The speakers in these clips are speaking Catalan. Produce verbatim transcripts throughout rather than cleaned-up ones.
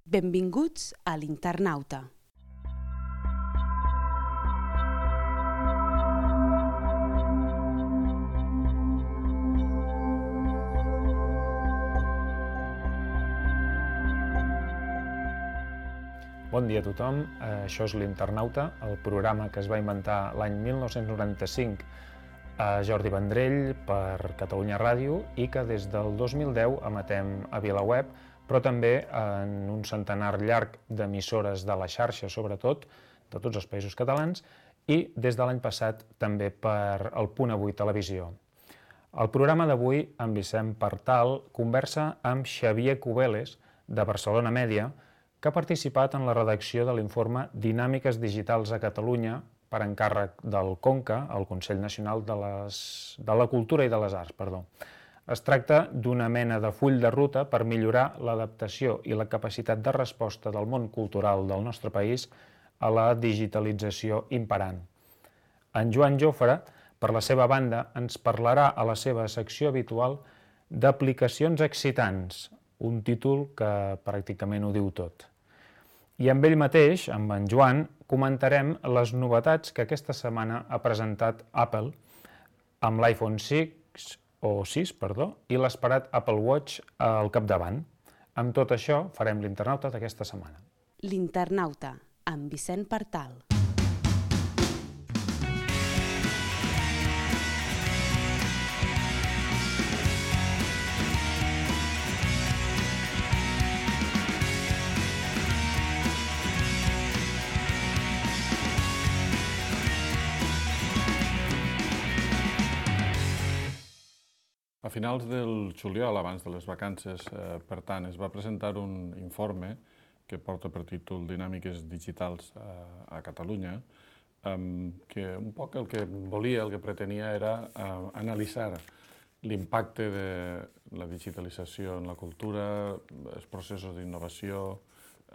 Benvinguts a l'Internauta. Bon dia a tothom, això és l'Internauta, el programa que es va inventar l'any mil nou-cents noranta-cinc a Jordi Vendrell per Catalunya Ràdio i que des del dos mil deu emetem a VilaWeb, però també en un centenar llarg d'emissores de la xarxa, sobretot, de tots els països catalans, i des de l'any passat també per el Punt Avui Televisió. El programa d'avui, amb Vicent Partal, conversa amb Xavier Cubeles, de Barcelona Mèdia, que ha participat en la redacció de l'informe Dinàmiques Digitals a Catalunya per encàrrec del CONCA, el Consell Nacional de, les, de la Cultura i de les Arts. Perdó. Es tracta d'una mena de full de ruta per millorar l'adaptació i la capacitat de resposta del món cultural del nostre país a la digitalització imperant. En Joan Jofre, per la seva banda, ens parlarà a la seva secció habitual d'aplicacions excitants, un títol que pràcticament ho diu tot. I amb ell mateix, amb en Joan, comentarem les novetats que aquesta setmana ha presentat Apple amb l'iPhone sis, o sis, perdó, i l'esperat Apple Watch al capdavant. Amb tot això farem l'Internauta d'aquesta setmana. L'Internauta, amb Vicent Partal. A finals del juliol, abans de les vacances, eh, per tant, es va presentar un informe que porta per títol Dinàmiques Digitals a, a Catalunya, eh, que un poc el que volia, el que pretenia era eh, analitzar l'impacte de la digitalització en la cultura, els processos d'innovació,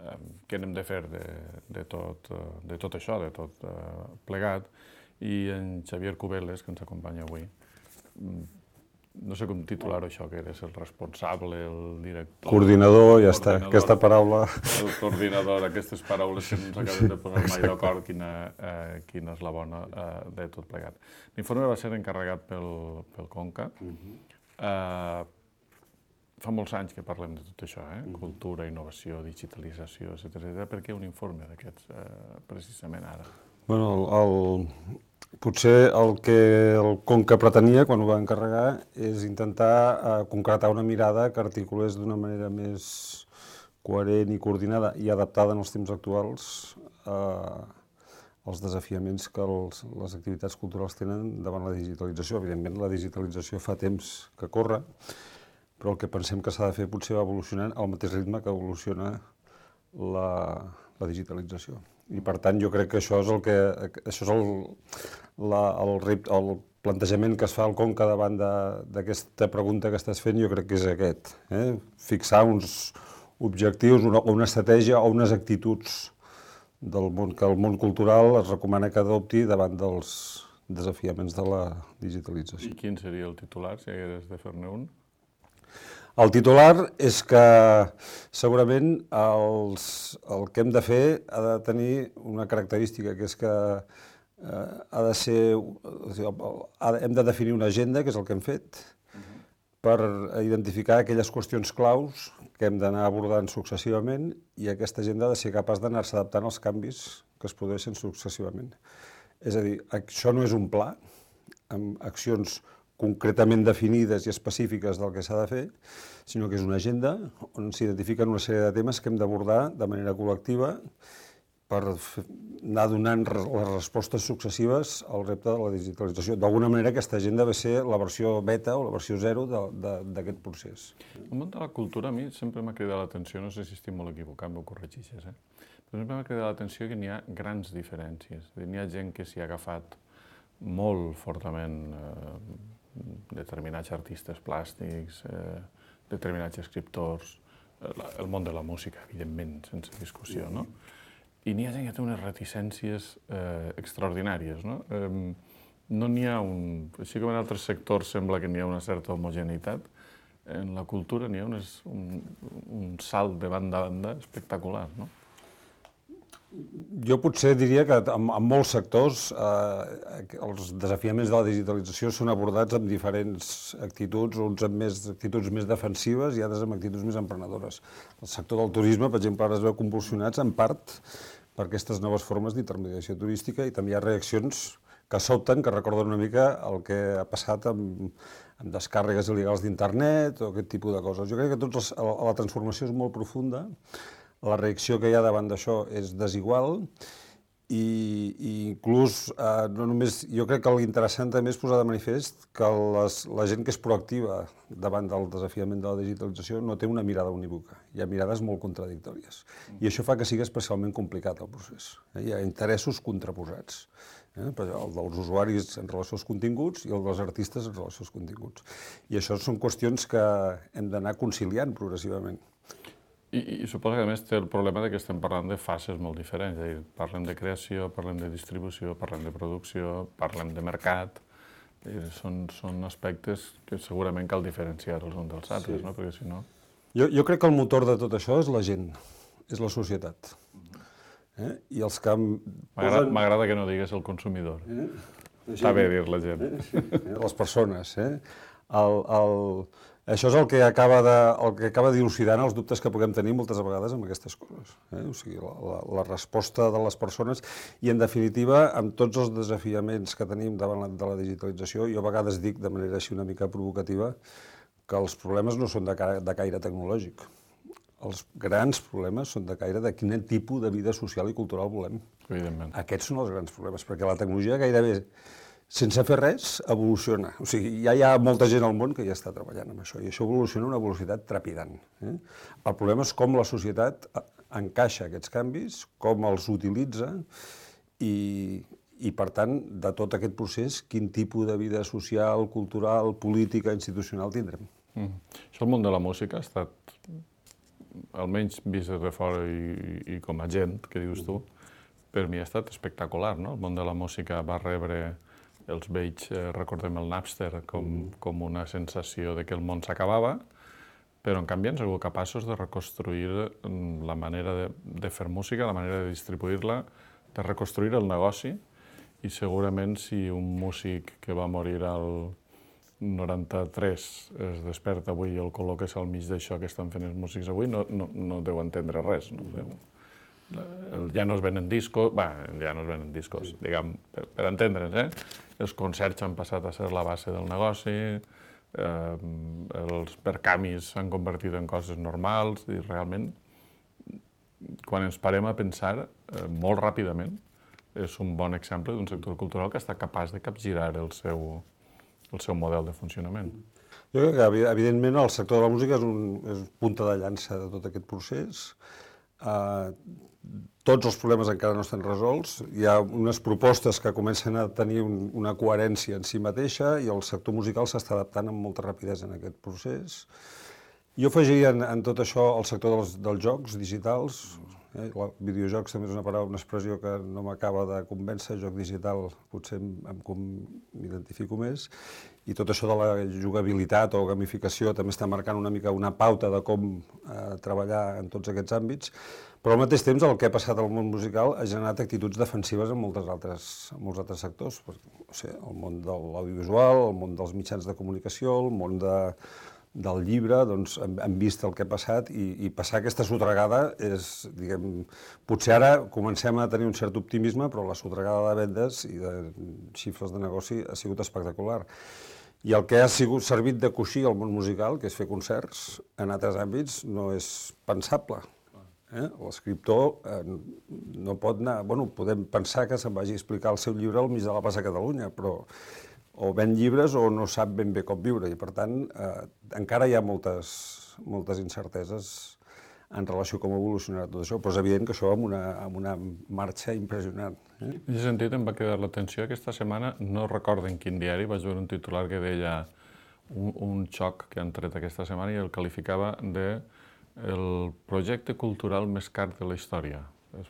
eh, què n'hem de fer de, de, tot, de tot això, de tot eh, plegat, i en Xavier Cubeles, que ens acompanya avui, no sé com titular-ho això, que eres el responsable, el director... Coordinador, ja està, aquesta paraula... El coordinador, aquestes paraules que no ens acabem de posar mai d'acord quina, eh, quina és la bona eh, de tot plegat. L'informe va ser encarregat pel, pel CONCA. Uh-huh. eh, fa molts anys que parlem de tot això, eh? Uh-huh. Cultura, innovació, digitalització, etcètera. Per què un informe d'aquests, eh, precisament ara? Bueno, el, el... Potser el que el CONCA pretenia, quan ho va encarregar, és intentar eh, concretar una mirada que articulés d'una manera més coherent i coordinada i adaptada en els temps actuals eh, als desafiaments que els, les activitats culturals tenen davant la digitalització. Evidentment, la digitalització fa temps que corre, però el que pensem que s'ha de fer potser va evolucionant al mateix ritme que evoluciona la, la digitalització. I per tant jo crec que això és el que això és el, la, el, el plantejament que es fa al CONCA davant d'aquesta pregunta que estàs fent, jo crec que és aquest, eh? Fixar uns objectius, una, una estratègia o unes actituds del món que el món cultural es recomana que adopti davant dels desafiaments de la digitalització. I quin seria el titular, si hagués de fer-ne un? El titular és que segurament els, el que hem de fer ha de tenir una característica, que és que eh, ha de ser, ha de, hem de definir una agenda, que és el que hem fet, uh-huh. per identificar aquelles qüestions claus que hem d'anar abordant successivament i aquesta agenda ha de ser capaç d'anar-se adaptant als canvis que es produeixen successivament. És a dir, això no és un pla amb accions concretament definides i específiques del que s'ha de fer, sinó que és una agenda on s'identifiquen una sèrie de temes que hem d'abordar de manera col·lectiva per anar donant les respostes successives al repte de la digitalització. D'alguna manera, aquesta agenda va ser la versió beta o la versió zero d'aquest procés. El món de la cultura a mi sempre m'ha cridat l'atenció, no sé si estic molt equivocat, m'ho corregixes, eh? però sempre m'ha cridat l'atenció que n'hi ha grans diferències. N'hi ha gent que s'hi ha agafat molt fortament eh, determinats artistes plàstics, eh, determinats escriptors, eh, el món de la música, evidentment, sense discussió, no? I n'hi ha gent que té unes reticències eh, extraordinàries, no? Eh, no n'hi ha un... Així com en altres sectors sembla que n'hi ha una certa homogeneïtat, en la cultura n'hi ha unes, un, un salt de banda a banda espectacular, no? Jo potser diria que en, en molts sectors eh, els desafiaments de la digitalització són abordats amb diferents actituds, uns amb més actituds més defensives i altres amb actituds més emprenedores. El sector del turisme, per exemple, ara es veu convulsionats en part per aquestes noves formes d'intermediació turística i també hi ha reaccions que sobten, que recorden una mica el que ha passat amb, amb descàrregues il·legals d'internet o aquest tipus de coses. Jo crec que tots els, la transformació és molt profunda. La reacció que hi ha davant d'això és desigual i, i inclús, eh, no només, jo crec que l'interessant també és posar de manifest que les, la gent que és proactiva davant del desafiament de la digitalització no té una mirada unívoca, hi ha mirades molt contradictòries. I això fa que sigui especialment complicat el procés. Eh? Hi ha interessos contraposats, eh? el dels usuaris en relació als continguts i el dels artistes en relació als continguts. I això són qüestions que hem d'anar conciliant progressivament. I, I suposo que a més té el problema de que estem parlant de fases molt diferents, és a dir, parlem de creació, parlem de distribució, parlem de producció, parlem de mercat, dir, són, són aspectes que segurament cal diferenciar els uns dels altres, sí. No? Perquè si no... Jo, jo crec que el motor de tot això és la gent, és la societat. Eh? I els que M'agrada posen... que no digues el consumidor. Eh? Està bé dir la gent. Eh? Sí. Les persones. Eh? El, el... Això és el que acaba de, el que acaba dilucidant els dubtes que puguem tenir moltes vegades amb aquestes coses. Eh? O sigui, la, la, la resposta de les persones i, en definitiva, amb tots els desafiaments que tenim davant la, de la digitalització, jo a vegades dic, de manera així una mica provocativa, que els problemes no són de, de caire tecnològic. Els grans problemes són de caire de quin tipus de vida social i cultural volem. Evidentment. Aquests són els grans problemes, perquè la tecnologia gairebé, sense fer res, evoluciona. O sigui, ja hi ha molta gent al món que ja està treballant amb això, i això evoluciona a una velocitat trepidant. Eh? El problema és com la societat encaixa aquests canvis, com els utilitza, i, i per tant, de tot aquest procés, quin tipus de vida social, cultural, política, institucional tindrem. Mm. Això el món de la música ha estat, almenys vist des de fora i, i com a gent, que dius tu, per mi ha estat espectacular, no? El món de la música va rebre els vells, eh, recordem el Napster, com, com una sensació de que el món s'acabava, però en canvi han sigut capaços de reconstruir la manera de, de fer música, la manera de distribuir-la, de reconstruir el negoci, i segurament si un músic que va morir al noranta-tres es desperta avui i el col·loques al mig d'això que estan fent els músics avui, no, no, no deu entendre res. No deu. Ja no es venen discos, bé, ja no es venen discos, diguem, per, per entendre'ns, eh? Els concerts han passat a ser la base del negoci, eh, els percamis s'han convertit en coses normals, i realment, quan ens parem a pensar, eh, molt ràpidament, és un bon exemple d'un sector cultural que està capaç de capgirar el seu, el seu model de funcionament. Jo crec que, evidentment, el sector de la música és, un, és punta de llança de tot aquest procés. Uh, tots els problemes encara no estan resolts, hi ha unes propostes que comencen a tenir un, una coherència en si mateixa i el sector musical s'està adaptant amb molta rapidesa en aquest procés. Jo afegiria en, en tot això el sector dels, dels jocs digitals. Eh? El videojocs també és una paraula, una expressió que no m'acaba de convèncer, joc digital potser m'identifico més, i tot això de la jugabilitat o gamificació també està marcant una mica una pauta de com eh, treballar en tots aquests àmbits, però al mateix temps el que ha passat al món musical ha generat actituds defensives en, moltes altres, en molts altres sectors, o sigui, el món de l'audiovisual, el món dels mitjans de comunicació, el món de, del llibre, doncs hem, hem vist el que ha passat i, i passar aquesta sotregada és, diguem, potser ara comencem a tenir un cert optimisme, però la sotregada de vendes i de xifres de negoci ha sigut espectacular. I el que ha sigut servit de coixí al món musical, que és fer concerts, en altres àmbits no és pensable. Eh? L'escriptor eh, no pot anar... Bueno, podem pensar que se'n vagi a explicar el seu llibre al mig de la plaça de Catalunya, però o ven llibres o no sap ben bé com viure, i per tant eh, encara hi ha moltes, moltes incerteses en relació a com evolucionarà tot això, però és evident que això amb una, amb una marxa impressionant. Eh? En aquest sentit em va quedar l'atenció aquesta setmana, no recordo en quin diari, vaig veure un titular que deia un, un xoc que han tret aquesta setmana i el qualificava de el projecte cultural més car de la història. És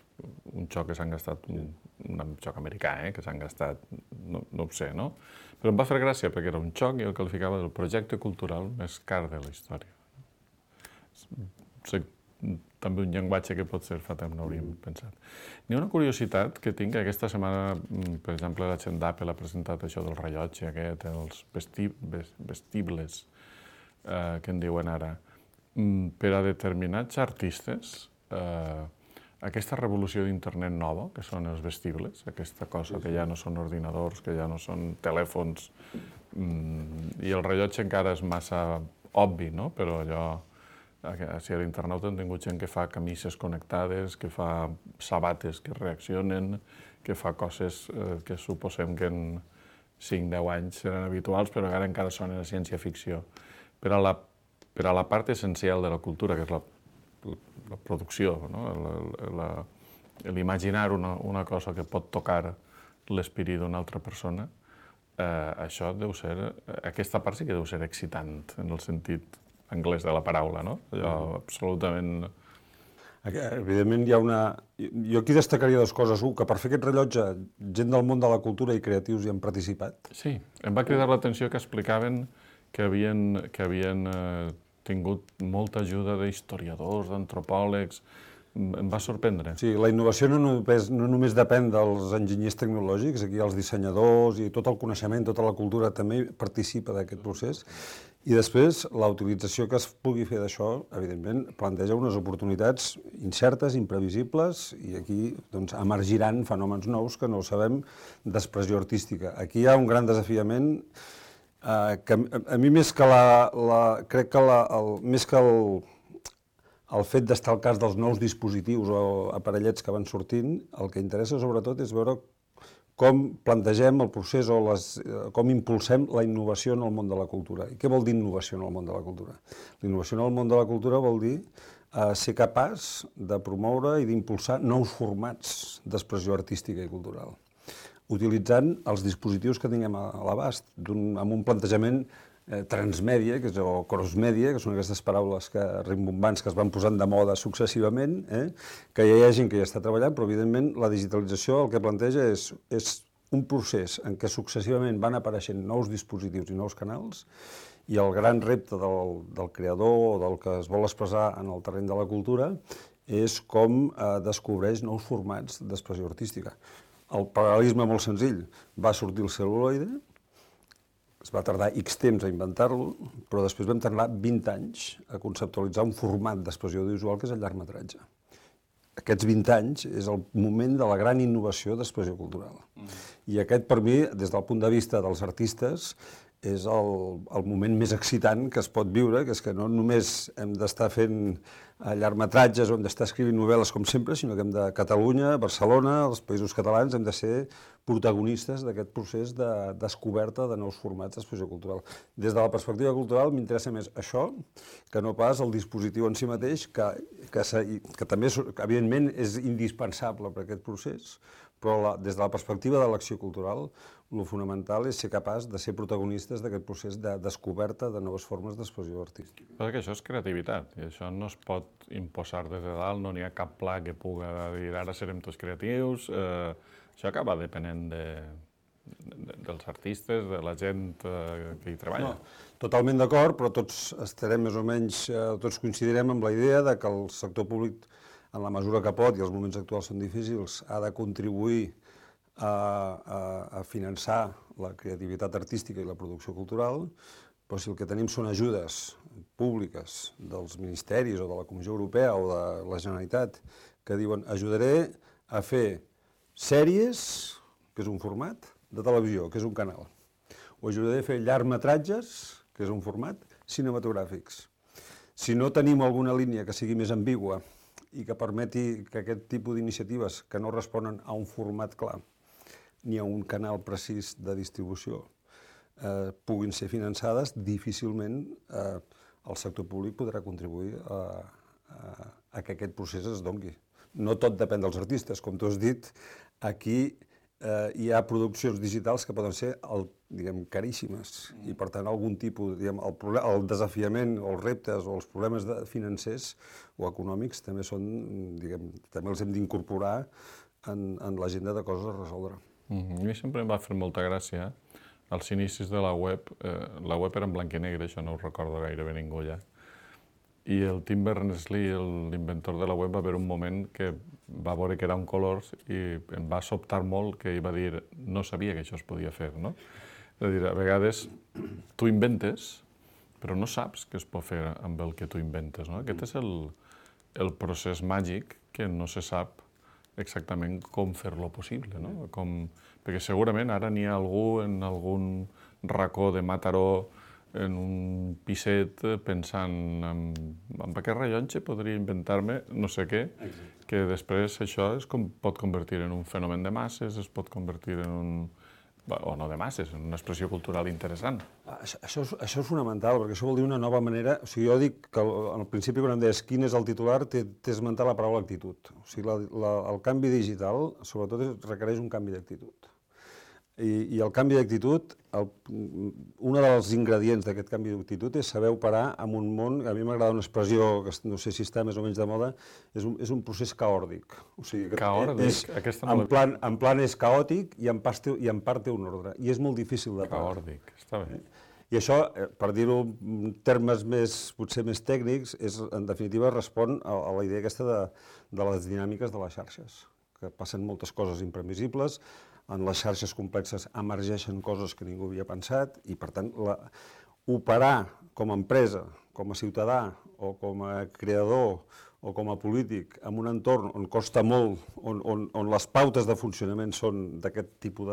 un xoc que s'han gastat, un, un xoc americà, eh, que s'han gastat no, no ho sé, no? Però em va fer gràcia perquè era un xoc i el qualificava del projecte cultural més car de la història. És també un llenguatge que potser fa temps no hauríem pensat. N'hi ha una curiositat que tinc, que aquesta setmana, per exemple, la gent d'Apple ha presentat això del rellotge aquest, els vesti vestibles eh, que en diuen ara. Per a determinats artistes, eh, aquesta revolució d'internet nova, que són els vestibles, aquesta cosa que ja no són ordinadors, que ja no són telèfons, i el rellotge encara és massa obvi, no? Però allò, si a l'internauta hem tingut gent que fa camises connectades, que fa sabates que reaccionen, que fa coses eh, que suposem que en cinc deu anys seran habituals, però que ara encara són a ciència-ficció. Per a la, per a la part essencial de la cultura, que és la, la producció, no? L'imaginar una, una cosa que pot tocar l'espírit d'una altra persona, eh, això deu ser, aquesta part sí que deu ser excitant, en el sentit anglès de la paraula, no? Allò absolutament... Evidentment hi ha una... Jo aquí destacaria dues coses. Un, que per fer aquest rellotge, gent del món de la cultura i creatius hi han participat. Sí, em va cridar l'atenció que explicaven que havien, que havien eh, tingut molta ajuda d'historiadors, d'antropòlegs. Em va sorprendre. Sí, la innovació no només, no només depèn dels enginyers tecnològics, aquí els dissenyadors i tot el coneixement, tota la cultura també participa d'aquest procés. I després, la utilització que es pugui fer d'això, evidentment, planteja unes oportunitats incertes, imprevisibles, i aquí doncs, emergiran fenòmens nous que no sabem d'expressió artística. Aquí hi ha un gran desafiament eh, que a mi més que la... la crec que la, el, més que el... el fet d'estar al cas dels nous dispositius o aparellets que van sortint, el que interessa sobretot és veure com plantegem el procés o les, com impulsem la innovació en el món de la cultura. I què vol dir innovació en el món de la cultura? La innovació en el món de la cultura vol dir eh, ser capaç de promoure i d'impulsar nous formats d'expressió artística i cultural, utilitzant els dispositius que tinguem a l'abast, amb un plantejament Eh, transmèdia, que és, o crossmèdia, que són aquestes paraules que, rimbombants que es van posant de moda successivament, eh, que ja hi ha gent que hi està treballant, però evidentment la digitalització el que planteja és, és un procés en què successivament van apareixent nous dispositius i nous canals, i el gran repte del, del creador o del que es vol expressar en el terreny de la cultura és com eh, descobreix nous formats d'expressió artística. El paral·lelisme molt senzill, va sortir el cel·luloide, es va tardar X temps a inventar-lo, però després vam tardar vint anys a conceptualitzar un format d'expressió audiovisual que és el llargmetratge. Aquests vint anys és el moment de la gran innovació d'expressió cultural. Mm. I aquest, per mi, des del punt de vista dels artistes, és el, el moment més excitant que es pot viure, que és que no només hem d'estar fent llargmetratges o hem d'estar escrivint novel·les com sempre, sinó que hem de Catalunya, Barcelona, els països catalans, hem de ser protagonistes d'aquest procés de descoberta de nous formats d'expressió cultural. Des de la perspectiva cultural m'interessa més això que no pas el dispositiu en si mateix, que, que, que també, evidentment, és indispensable per a aquest procés, però la, des de la perspectiva de l'acció cultural, el fonamental és ser capaç de ser protagonistes d'aquest procés de descoberta de noves formes d'expressió artística. Perquè això és creativitat, i això no es pot imposar des de dalt, no n'hi ha cap pla que puga dir ara serem tots creatius, eh, això acaba depenent de, de, dels artistes, de la gent eh, que hi treballa. No, totalment d'acord, però tots estarem més o menys, eh, tots coincidirem amb la idea de que el sector públic, en la mesura que pot, i els moments actuals són difícils, ha de contribuir a, a, a finançar la creativitat artística i la producció cultural, però si el que tenim són ajudes públiques dels ministeris o de la Comissió Europea o de la Generalitat que diuen ajudaré a fer sèries, que és un format, de televisió, que és un canal, o ajudaré a fer llargmetratges, que és un format, cinematogràfics. Si no tenim alguna línia que sigui més ambigua i que permeti que aquest tipus d'iniciatives que no responen a un format clar ni a un canal precís de distribució eh, puguin ser finançades, difícilment eh, el sector públic podrà contribuir a, a, a que aquest procés es dongui. No tot depèn dels artistes, com tu has dit, aquí eh, hi ha produccions digitals que poden ser el, diguem, caríssimes i per tant algun tipus, diguem, el, problema, el desafiament o els reptes o els problemes de, financers o econòmics també són, diguem, també els hem d'incorporar en, en l'agenda de coses a resoldre. Mm-hmm. A mi sempre em va fer molta gràcia. Als inicis de la web, eh, la web era en blanc i negre, això no ho recordo gairebé ningú ja. I el Tim Berners-Lee, l'inventor de la web, va haver un moment que va veure que era un colors i em va sobtar molt que ell va dir no sabia que això es podia fer, no? És a dir, a vegades tu inventes, però no saps què es pot fer amb el que tu inventes, no? Aquest és el, el procés màgic que no se sap exactament com fer-lo possible, no? Com, perquè segurament ara n'hi ha algú en algun racó de Mataró, en un piset, pensant en, en aquest rellotge podria inventar-me no sé què, que després això es com, pot convertir en un fenomen de masses, es pot convertir en un... o no de masses, en una expressió cultural interessant. Això, això, és, això és fonamental, perquè això vol dir una nova manera... O sigui, jo dic que al principi, quan em deies quin és el titular, t'he esmentat la paraula actitud. O sigui, la, la, el canvi digital, sobretot, requereix un canvi d'actitud. I, I el canvi d'actitud, un dels ingredients d'aquest canvi d'actitud és saber operar en un món, a mi m'agrada una expressió, que no sé si està més o menys de moda, és un, és un procés caòrdic. O sigui, caòrdic? És, Aquesta no en, plan, en plan és caòtic i en part, té, i en part té un ordre, i és molt difícil de parar. Caòrdic, està bé. I això, per dir-ho en termes més, potser més tècnics, és, en definitiva respon a, a la idea aquesta de, de les dinàmiques de les xarxes, que passen moltes coses imprevisibles. En les xarxes complexes emergeixen coses que ningú havia pensat i, per tant, la, operar com a empresa, com a ciutadà o com a creador o com a polític en un entorn on costa molt, on, on, on les pautes de funcionament són d'aquest tipus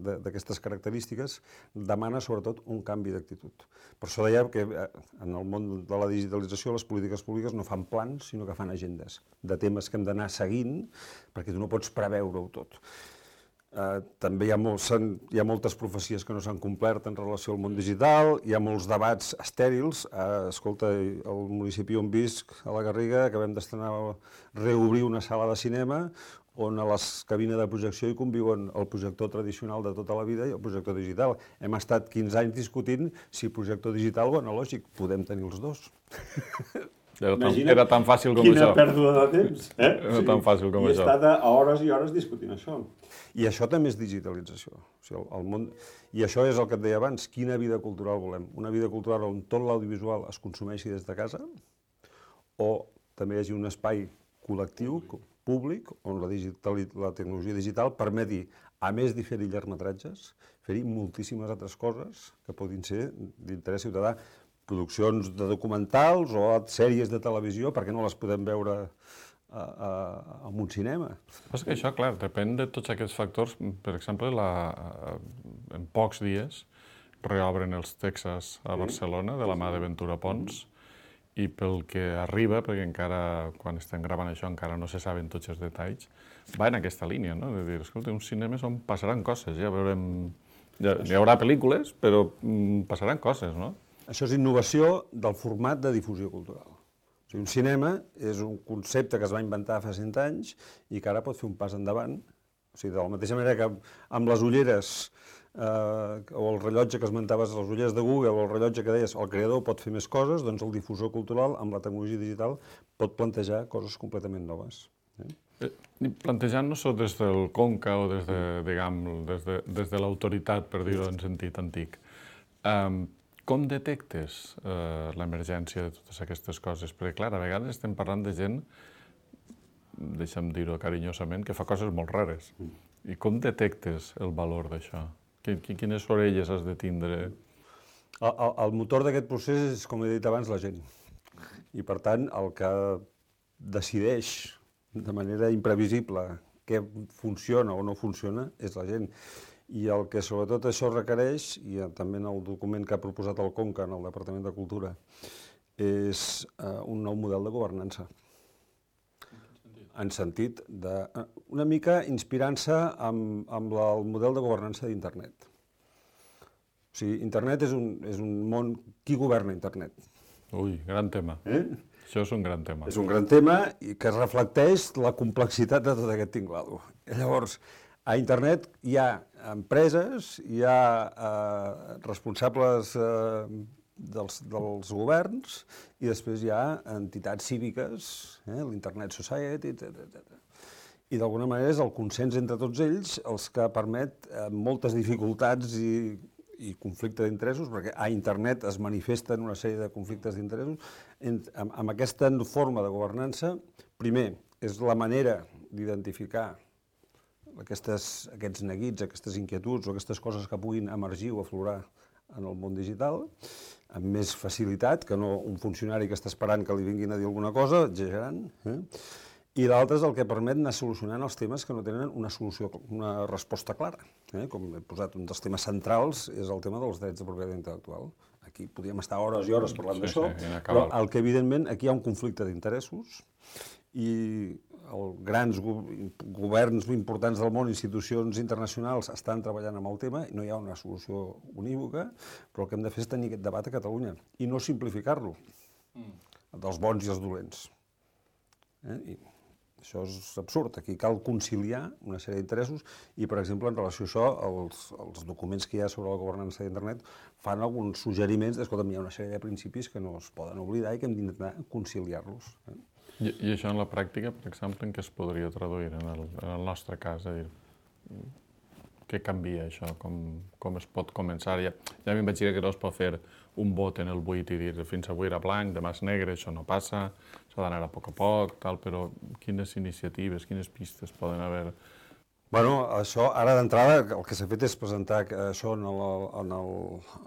d'aquestes característiques, demana sobretot un canvi d'actitud. Per això deia que en el món de la digitalització les polítiques públiques no fan plans, sinó que fan agendes de temes que hem d'anar seguint, perquè tu no pots preveure-ho tot. Uh, també hi ha, molts, hi ha moltes profecies que no s'han complert en relació al món digital, hi ha molts debats estèrils. Uh, escolta, al municipi on visc, a la Garriga, acabem d'estrenar reobrir una sala de cinema on a les cabines de projecció hi conviuen el projector tradicional de tota la vida i el projector digital. Hem estat quinze anys discutint si projector digital o analògic. Podem tenir els dos. Era tan, era tan fàcil com quina això. Quina pèrdua de temps. Eh? Era sí, tan fàcil com I això. I he estat a hores i hores discutint això. I això també és digitalització. O sigui, el, el món... I això és el que et deia abans, quina vida cultural volem. Una vida cultural on tot l'audiovisual es consumeixi des de casa, o també hi hagi un espai col·lectiu, públic, on la, digital, la tecnologia digital permeti, a més de fer-hi llargmetratges, fer-hi moltíssimes altres coses que podin ser d'interès ciutadà. Produccions de documentals o sèries de televisió, perquè no les podem veure a, a, a un cinema. És que això, clar, depèn de tots aquests factors. Per exemple, la, en pocs dies reobren els Texas a Barcelona, de la mà de Ventura Pons, i pel que arriba, perquè encara, quan estem gravant això, encara no se saben tots els detalls, va en aquesta línia, no? De dir, escolta, uns cinemes on passaran coses, ja veurem... Ja, hi haurà pel·lícules, però mm, passaran coses, no? Això és innovació del format de difusió cultural. O sigui, un cinema és un concepte que es va inventar fa cent anys i que ara pot fer un pas endavant. O sigui, de la mateixa manera que amb les ulleres eh, o el rellotge que esmentaves, les ulleres de Google o el rellotge que deies, el creador pot fer més coses, doncs el difusor cultural amb la tecnologia digital pot plantejar coses completament noves. Eh? Plantejant-nos-ho des del Conca o des de, diguem, des de, des de l'autoritat, per dir-ho en sentit antic, um, com detectes eh, l'emergència de totes aquestes coses? Perquè, clar, a vegades estem parlant de gent, deixa'm dir-ho carinyosament, que fa coses molt rares. I com detectes el valor d'això? Quines orelles has de tindre? El, el, el motor d'aquest procés és, com he dit abans, la gent. I, per tant, el que decideix de manera imprevisible què funciona o no funciona és la gent. I el que sobretot això requereix, i també en el document que ha proposat el Conca en el Departament de Cultura, és eh, un nou model de governança. En sentit de... una mica inspirant-se amb, amb la, el model de governança d'Internet. O sigui, Internet és un, és un món... Qui governa Internet? Ui, gran tema. Eh? Això és un gran tema. És un gran tema i que reflecteix la complexitat de tot aquest tinglado. Llavors, a Internet hi ha empreses, hi ha eh, responsables eh, dels, dels governs i després hi ha entitats cíviques, eh, l'Internet Society, etcètera. i d'alguna manera és el consens entre tots ells els que permet moltes dificultats i, i conflicte d'interessos, perquè a internet es manifesten una sèrie de conflictes d'interessos. Amb, amb aquesta forma de governança, primer, és la manera d'identificar aquestes, aquests neguits, aquestes inquietuds o aquestes coses que puguin emergir o aflorar en el món digital, amb més facilitat que no un funcionari que està esperant que li vinguin a dir alguna cosa, exagerant. Eh? I l'altre és el que permet anar solucionant els temes que no tenen una solució, una resposta clara. Eh? Com he posat, un dels temes centrals és el tema dels drets de propietat intel·lectual. Aquí podríem estar hores i hores parlant sí, d'això, sí, però el que evidentment aquí hi ha un conflicte d'interessos i els grans governs importants del món, institucions internacionals, estan treballant amb el tema i no hi ha una solució unívoca, però el que hem de fer és tenir aquest debat a Catalunya i no simplificar-lo, dels bons i els dolents. Eh? I això és absurd. Aquí cal conciliar una sèrie d'interessos i, per exemple, en relació a això, els, els documents que hi ha sobre la governança d'internet fan alguns suggeriments d'escolta, hi ha una sèrie de principis que no es poden oblidar i que hem d'intentar conciliar-los. Eh? I, I això en la pràctica, per exemple, en què es podria traduir en el, en el nostre cas? És a dir, què canvia això? Com, com es pot començar? Ja, ja m'imagino que no es pot fer un vot en el buit i dir fins avui era blanc, demà és negre, això no passa, s'ha d'anar a poc a poc, tal, però quines iniciatives, quines pistes poden haver? Bueno, això, ara d'entrada, el que s'ha fet és presentar això en el, en el,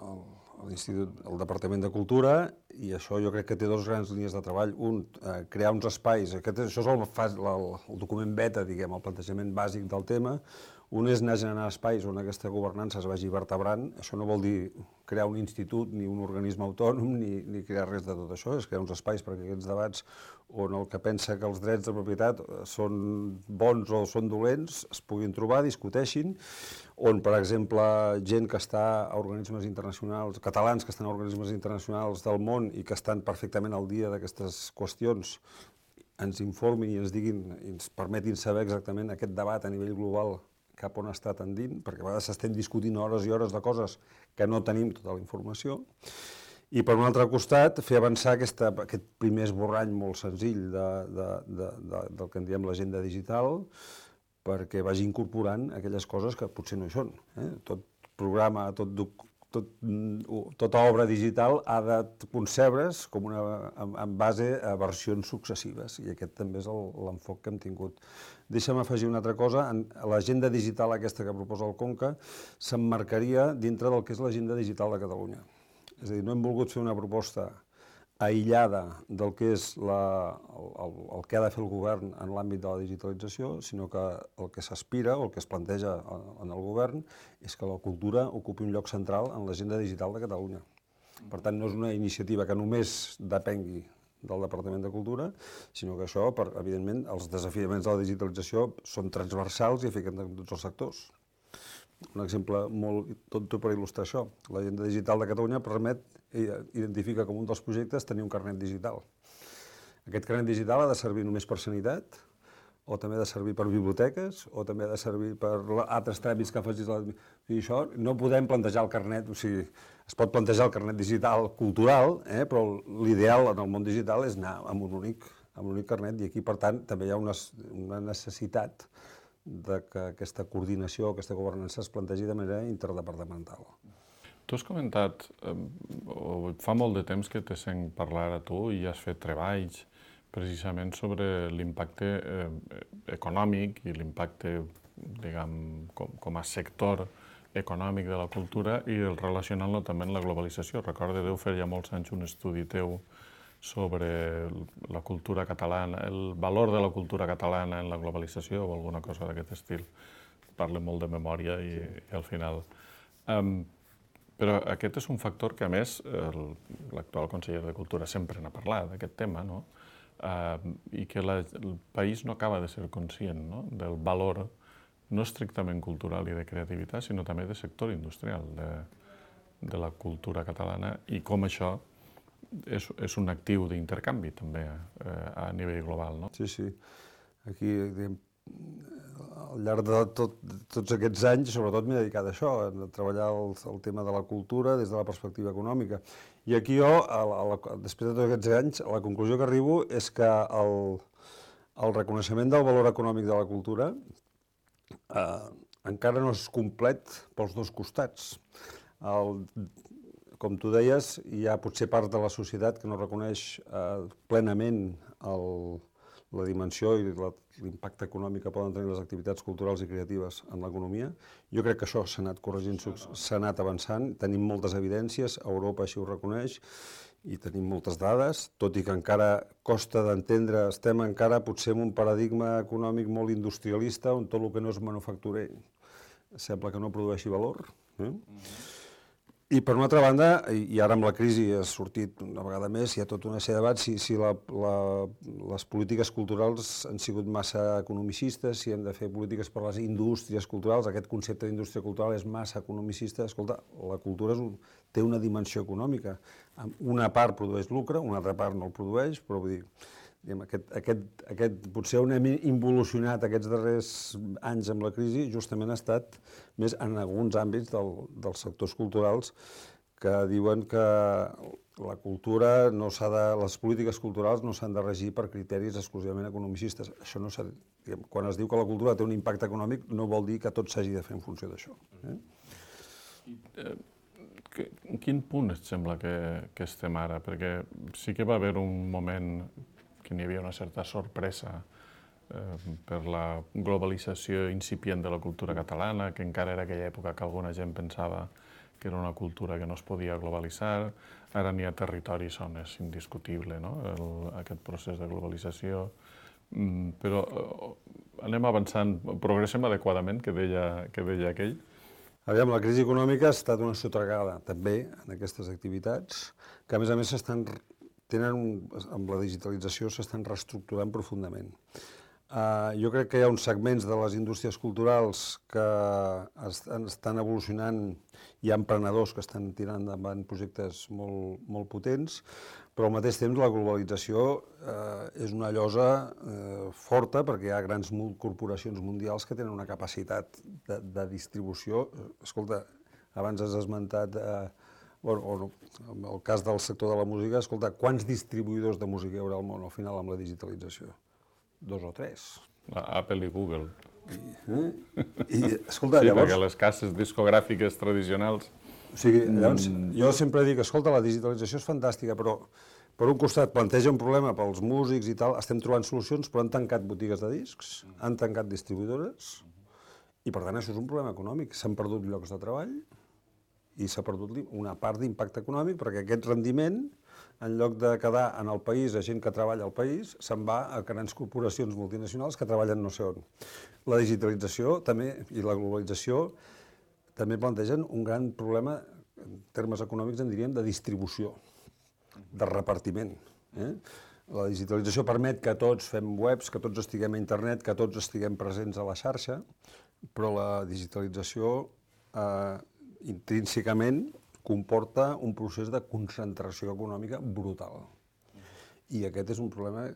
el, l'Institut, el Departament de Cultura, i això jo crec que té dues grans línies de treball. Un, eh, crear uns espais, aquest, això és el, el, el document beta, diguem, el plantejament bàsic del tema. Un és anar generant espais on aquesta governança es vagi vertebrant. Això no vol dir crear un institut, ni un organisme autònom, ni, ni crear res de tot això, és crear uns espais perquè aquests debats on el que pensa que els drets de propietat són bons o són dolents es puguin trobar, discuteixin, on, per exemple, gent que està a organismes internacionals, catalans que estan a organismes internacionals del món i que estan perfectament al dia d'aquestes qüestions, ens informin i ens diguin, i ens permetin saber exactament aquest debat a nivell global cap on està tendint, perquè a vegades estem discutint hores i hores de coses que no tenim tota la informació. I per un altre costat, fer avançar aquesta, aquest primer esborrany molt senzill de, de, de, de, del que en diem l'agenda digital, perquè vagi incorporant aquelles coses que potser no hi són. Eh? Tot programa, tot, tot, tota obra digital ha de concebre's com una, en, en base a versions successives, i aquest també és l'enfoc que hem tingut. Deixa'm afegir una altra cosa, l'agenda digital aquesta que proposa el Conca s'emmarcaria dintre del que és l'agenda digital de Catalunya. És a dir, no hem volgut fer una proposta aïllada del que és la, el, el que ha de fer el govern en l'àmbit de la digitalització, sinó que el que s'aspira o el que es planteja en el govern és que la cultura ocupi un lloc central en l'agenda digital de Catalunya. Per tant, no és una iniciativa que només depengui del Departament de Cultura, sinó que això, per, evidentment, els desafiaments de la digitalització són transversals i afecten tots els sectors. Un exemple molt tonto per il·lustrar això. L'agenda digital de Catalunya permet, identifica com un dels projectes tenir un carnet digital. Aquest carnet digital ha de servir només per sanitat, o també ha de servir per biblioteques, o també ha de servir per altres tràmits que facis. I això no podem plantejar el carnet, o sigui, es pot plantejar el carnet digital cultural, eh, però l'ideal en el món digital és anar amb un únic, amb un únic carnet, i aquí, per tant, també hi ha una, una necessitat de que aquesta coordinació, aquesta governança es plantegi de manera interdepartamental. Tu has comentat, eh, fa molt de temps que te sent parlar a tu i has fet treballs precisament sobre l'impacte eh, econòmic i l'impacte, diguem, com, com a sector econòmic de la cultura i el relacionant-lo també amb la globalització. Recordo, deu fer ja molts anys un estudi teu sobre la cultura catalana, el valor de la cultura catalana en la globalització o alguna cosa d'aquest estil. Parle molt de memòria i, i al final. Um, però aquest és un factor que, a més, l'actual conseller de Cultura sempre n'ha parlat, d'aquest tema, no? Uh, i que la, el país no acaba de ser conscient, no? Del valor no estrictament cultural i de creativitat, sinó també de sector industrial de, de la cultura catalana, i com això és, és un actiu d'intercanvi també eh, a nivell global, no? Sí, sí. Aquí, diguem, al llarg de tot, tots aquests anys, sobretot m'he dedicat a això, a treballar el, el tema de la cultura des de la perspectiva econòmica. I aquí jo, a la, a la, després de tots aquests anys, la conclusió que arribo és que el, el reconeixement del valor econòmic de la cultura eh, encara no és complet pels dos costats. El, com tu deies, hi ha potser part de la societat que no reconeix eh, plenament el, la dimensió i l'impacte econòmic que poden tenir les activitats culturals i creatives en l'economia. Jo crec que això s'ha anat corregint, s'ha anat avançant, tenim moltes evidències, Europa així ho reconeix, i tenim moltes dades, tot i que encara costa d'entendre, estem encara potser en un paradigma econòmic molt industrialista, on tot el que no és manufacturer sembla que no produeixi valor. Eh? Mm-hmm. I per una altra banda, i ara amb la crisi ha sortit una vegada més, hi ha tota una sèrie de debats, si, si la, la, les polítiques culturals han sigut massa economicistes, si hem de fer polítiques per les indústries culturals, aquest concepte d'indústria cultural és massa economicista. Escolta, la cultura és un, té una dimensió econòmica. Una part produeix lucre, una altra part no el produeix, però vull dir, Aquest, aquest, aquest, potser on hem involucionat aquests darrers anys amb la crisi justament ha estat més en alguns àmbits del, dels sectors culturals que diuen que la cultura no s'ha de, les polítiques culturals no s'han de regir per criteris exclusivament economicistes. Això no s'ha, diguem, quan es diu que la cultura té un impacte econòmic no vol dir que tot s'hagi de fer en funció d'això. Eh? En quin punt et sembla que, que estem ara? Perquè sí que va haver un moment que n'hi havia una certa sorpresa eh, per la globalització incipient de la cultura catalana, que encara era aquella època que alguna gent pensava que era una cultura que no es podia globalitzar. Ara n'hi ha territoris on és indiscutible, no? El, aquest procés de globalització. Mm, però eh, anem avançant, progressem adequadament, que deia, que deia aquell. Aviam, la crisi econòmica ha estat una sotragada també en aquestes activitats, que a més a més s'estan tenen un, amb la digitalització s'estan reestructurant profundament. Uh, jo crec que hi ha uns segments de les indústries culturals que estan, estan evolucionant, hi ha emprenedors que estan tirant endavant projectes molt, molt potents, però al mateix temps la globalització uh, és una llosa uh, forta perquè hi ha grans corporacions mundials que tenen una capacitat de, de distribució. Escolta, abans has esmentat uh, Bueno, o en el cas del sector de la música, escolta, quants distribuïdors de música hi haurà al món al final amb la digitalització? Dos o tres. Apple i Google. I, eh? I escolta, sí, llavors... perquè les cases discogràfiques tradicionals... O sigui, llavors, mm. jo sempre dic, escolta, la digitalització és fantàstica, però per un costat planteja un problema pels músics i tal, estem trobant solucions, però han tancat botigues de discs, han tancat distribuïdores, i per tant això és un problema econòmic. S'han perdut llocs de treball, i s'ha perdut una part d'impacte econòmic perquè aquest rendiment, en lloc de quedar en el país a gent que treballa al país, se'n va a grans corporacions multinacionals que treballen no sé on. La digitalització també i la globalització també plantegen un gran problema, en termes econòmics en diríem, de distribució, de repartiment. Eh? La digitalització permet que tots fem webs, que tots estiguem a internet, que tots estiguem presents a la xarxa, però la digitalització eh, intrínsecament comporta un procés de concentració econòmica brutal. I aquest és un problema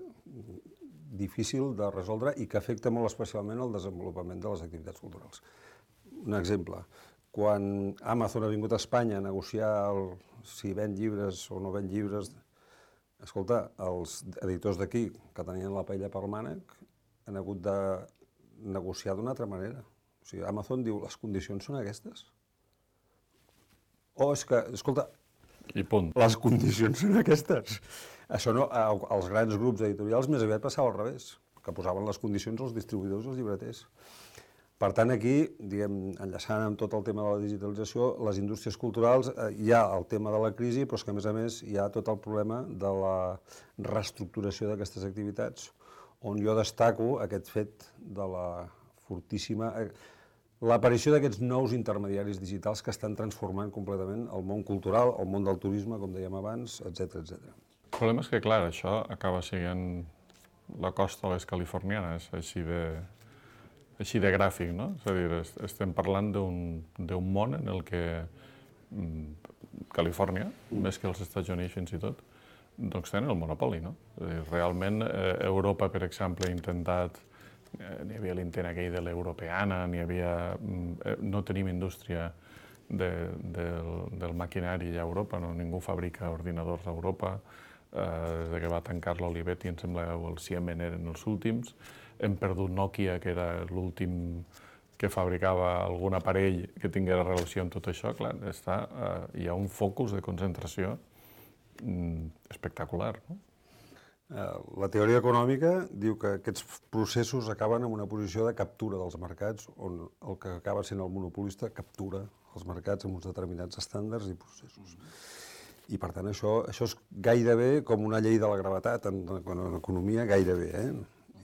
difícil de resoldre i que afecta molt especialment el desenvolupament de les activitats culturals. Un exemple, quan Amazon ha vingut a Espanya a negociar el, si ven llibres o no ven llibres, escolta, els editors d'aquí, que tenien la paella pel mànec, han hagut de negociar d'una altra manera. O sigui, Amazon diu, les condicions són aquestes. O és que, escolta, I punt. Les condicions són aquestes. Això no, als grans grups editorials més aviat passava al revés, que posaven les condicions als distribuïdors i als llibreters. Per tant, aquí, diguem, enllaçant amb tot el tema de la digitalització, les indústries culturals, eh, hi ha el tema de la crisi, però és que, a més a més, hi ha tot el problema de la reestructuració d'aquestes activitats, on jo destaco aquest fet de la fortíssima... l'aparició d'aquests nous intermediaris digitals que estan transformant completament el món cultural, el món del turisme, com dèiem abans, etcètera, etcètera. El problema és que, clar, això acaba sent la costa a les californianes, així de, així de gràfic, no? És a dir, estem parlant d'un món en el que Califòrnia, mm. més que els Estats Units fins i tot, doncs tenen el monopoli, no? És a dir, realment, eh, Europa, per exemple, ha intentat... Eh, n'hi havia l'intent aquell de l'europeana, n'hi havia... Eh, no tenim indústria de, de, del maquinari a Europa, no? Ningú fabrica ordinadors a Europa. des que va tancar l'Olivetti, em sembla que el Siemens eren els últims. Hem perdut Nokia, que era l'últim que fabricava algun aparell que tingués relació amb tot això. Clar, està, hi ha un focus de concentració espectacular, no? La teoria econòmica diu que aquests processos acaben en una posició de captura dels mercats, on el que acaba sent el monopolista captura els mercats amb uns determinats estàndards i processos. I, per tant, això, això és gairebé com una llei de la gravetat en, en economia, gairebé, eh?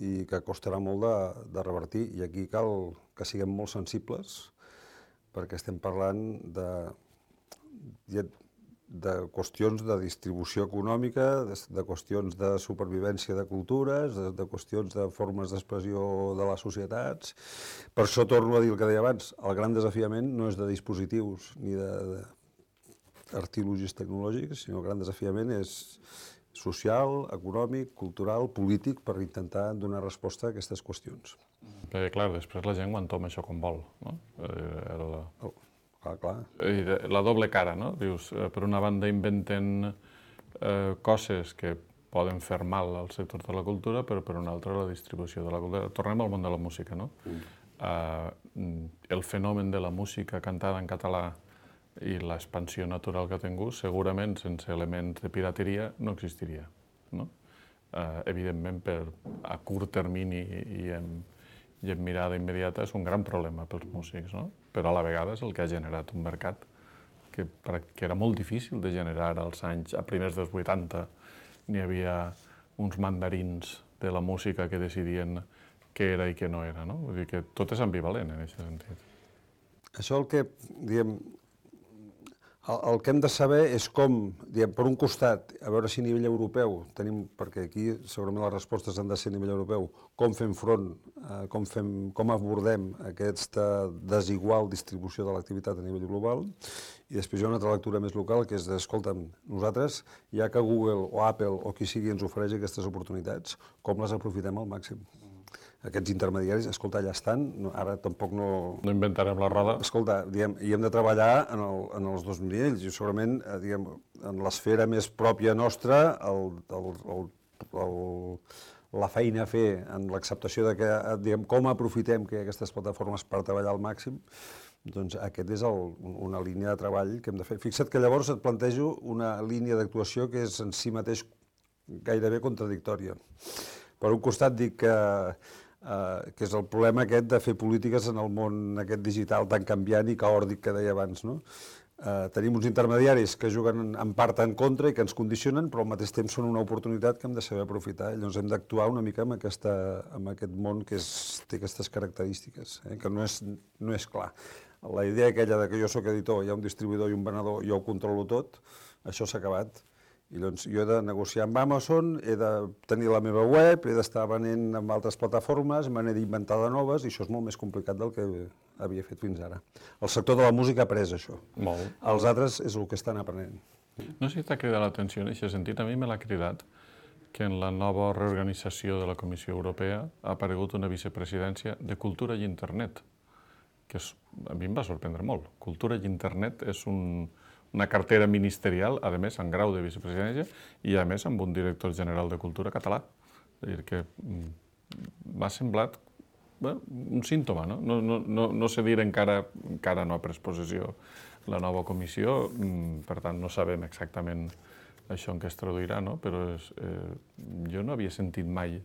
I que costarà molt de, de revertir. I aquí cal que siguem molt sensibles, perquè estem parlant de, de, de qüestions de distribució econòmica, de, de qüestions de supervivència de cultures, de, de qüestions de formes d'expressió de les societats. Per això torno a dir el que deia abans, el gran desafiament no és de dispositius ni de, de artilogis tecnològics, sinó el gran desafiament és social, econòmic, cultural, polític, per intentar donar resposta a aquestes qüestions. Perquè, clar, després la gent ho entoma això com vol, no? Era la... Oh, clar, clar. La doble cara, no? Dius, per una banda inventen eh, coses que poden fer mal al sector de la cultura, però per una altra la distribució de la cultura. Tornem al món de la música, no? Mm. Uh, el fenomen de la música cantada en català i l'expansió natural que ha tingut, segurament sense elements de pirateria no existiria, no? Uh, evidentment, per, a curt termini i en, i en mirada immediata és un gran problema pels músics, no? Però a la vegada és el que ha generat un mercat que, que era molt difícil de generar als anys, a primers dels vuitanta. N'hi havia uns mandarins de la música que decidien què era i què no era, no? Vull dir que tot és ambivalent en aquest sentit. Això el que, diguem, El, el que hem de saber és com, diguem, per un costat, a veure si a nivell europeu tenim, perquè aquí segurament les respostes han de ser a nivell europeu, com fem front, eh, com, fem, com abordem aquesta desigual distribució de l'activitat a nivell global, i després hi ha una altra lectura més local, que és de, escolta'm, nosaltres, ja que Google o Apple o qui sigui ens ofereix aquestes oportunitats, com les aprofitem al màxim? Aquests intermediaris, escolta, ja estan, no, ara tampoc no... No inventarem la roda. Escolta, diguem, i hem de treballar en, el, en els dos nivells, i segurament, eh, diguem, en l'esfera més pròpia nostra, el, el, el, el, la feina a fer en l'acceptació de que, diguem, com aprofitem que aquestes plataformes per treballar al màxim, doncs aquest és el, una línia de treball que hem de fer. Fixa't que llavors et plantejo una línia d'actuació que és en si mateix gairebé contradictòria. Per un costat dic que Uh, que és el problema aquest de fer polítiques en el món aquest digital tan canviant i caòrdic que deia abans, no? Uh, tenim uns intermediaris que juguen en part en contra i que ens condicionen, però al mateix temps són una oportunitat que hem de saber aprofitar. Llavors hem d'actuar una mica amb, aquesta, amb aquest món que és, té aquestes característiques, eh? Que no és, no és clar. La idea aquella de que jo sóc editor, hi ha un distribuïdor i un venedor, jo ho controlo tot, això s'ha acabat. I doncs jo he de negociar amb Amazon, he de tenir la meva web, he d'estar venent amb altres plataformes, me n'he d'inventar de noves, i això és molt més complicat del que havia fet fins ara. El sector de la música ha après això. Molt. Els altres és el que estan aprenent. No sé si t'ha cridat l'atenció en aquest sentit, a mi me l'ha cridat que en la nova reorganització de la Comissió Europea ha aparegut una vicepresidència de Cultura i Internet, que és, a mi em va sorprendre molt. Cultura i Internet és un... una cartera ministerial, a més, en grau de vicepresidència, i a més amb un director general de Cultura català. És a dir, que m'ha semblat bé, un símptoma, no? No, no, no, no sé dir encara, encara no ha pres possessió la nova comissió, per tant no sabem exactament això en què es traduirà, no? Però és, eh, jo no havia sentit mai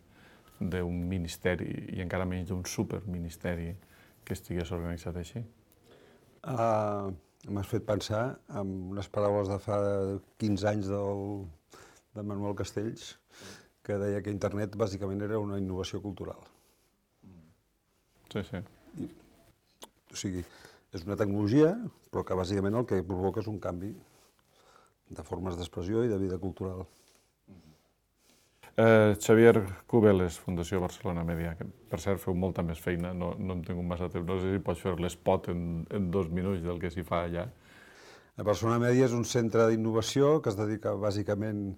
d'un ministeri, i encara menys d'un superministeri, que estigués organitzat així. Uh... M'has fet pensar en unes paraules de fa quinze anys del, de Manuel Castells, que deia que internet bàsicament era una innovació cultural. Sí, sí. I, o sigui, és una tecnologia, però que bàsicament el que provoca és un canvi de formes d'expressió i de vida cultural. Eh, Xavier Cubeles, Fundació Barcelona Media, que per cert feu molta més feina, no, no hem tingut massa temps, no sé si pots fer l'espot en, en dos minuts del que s'hi fa allà. La Barcelona Media és un centre d'innovació que es dedica bàsicament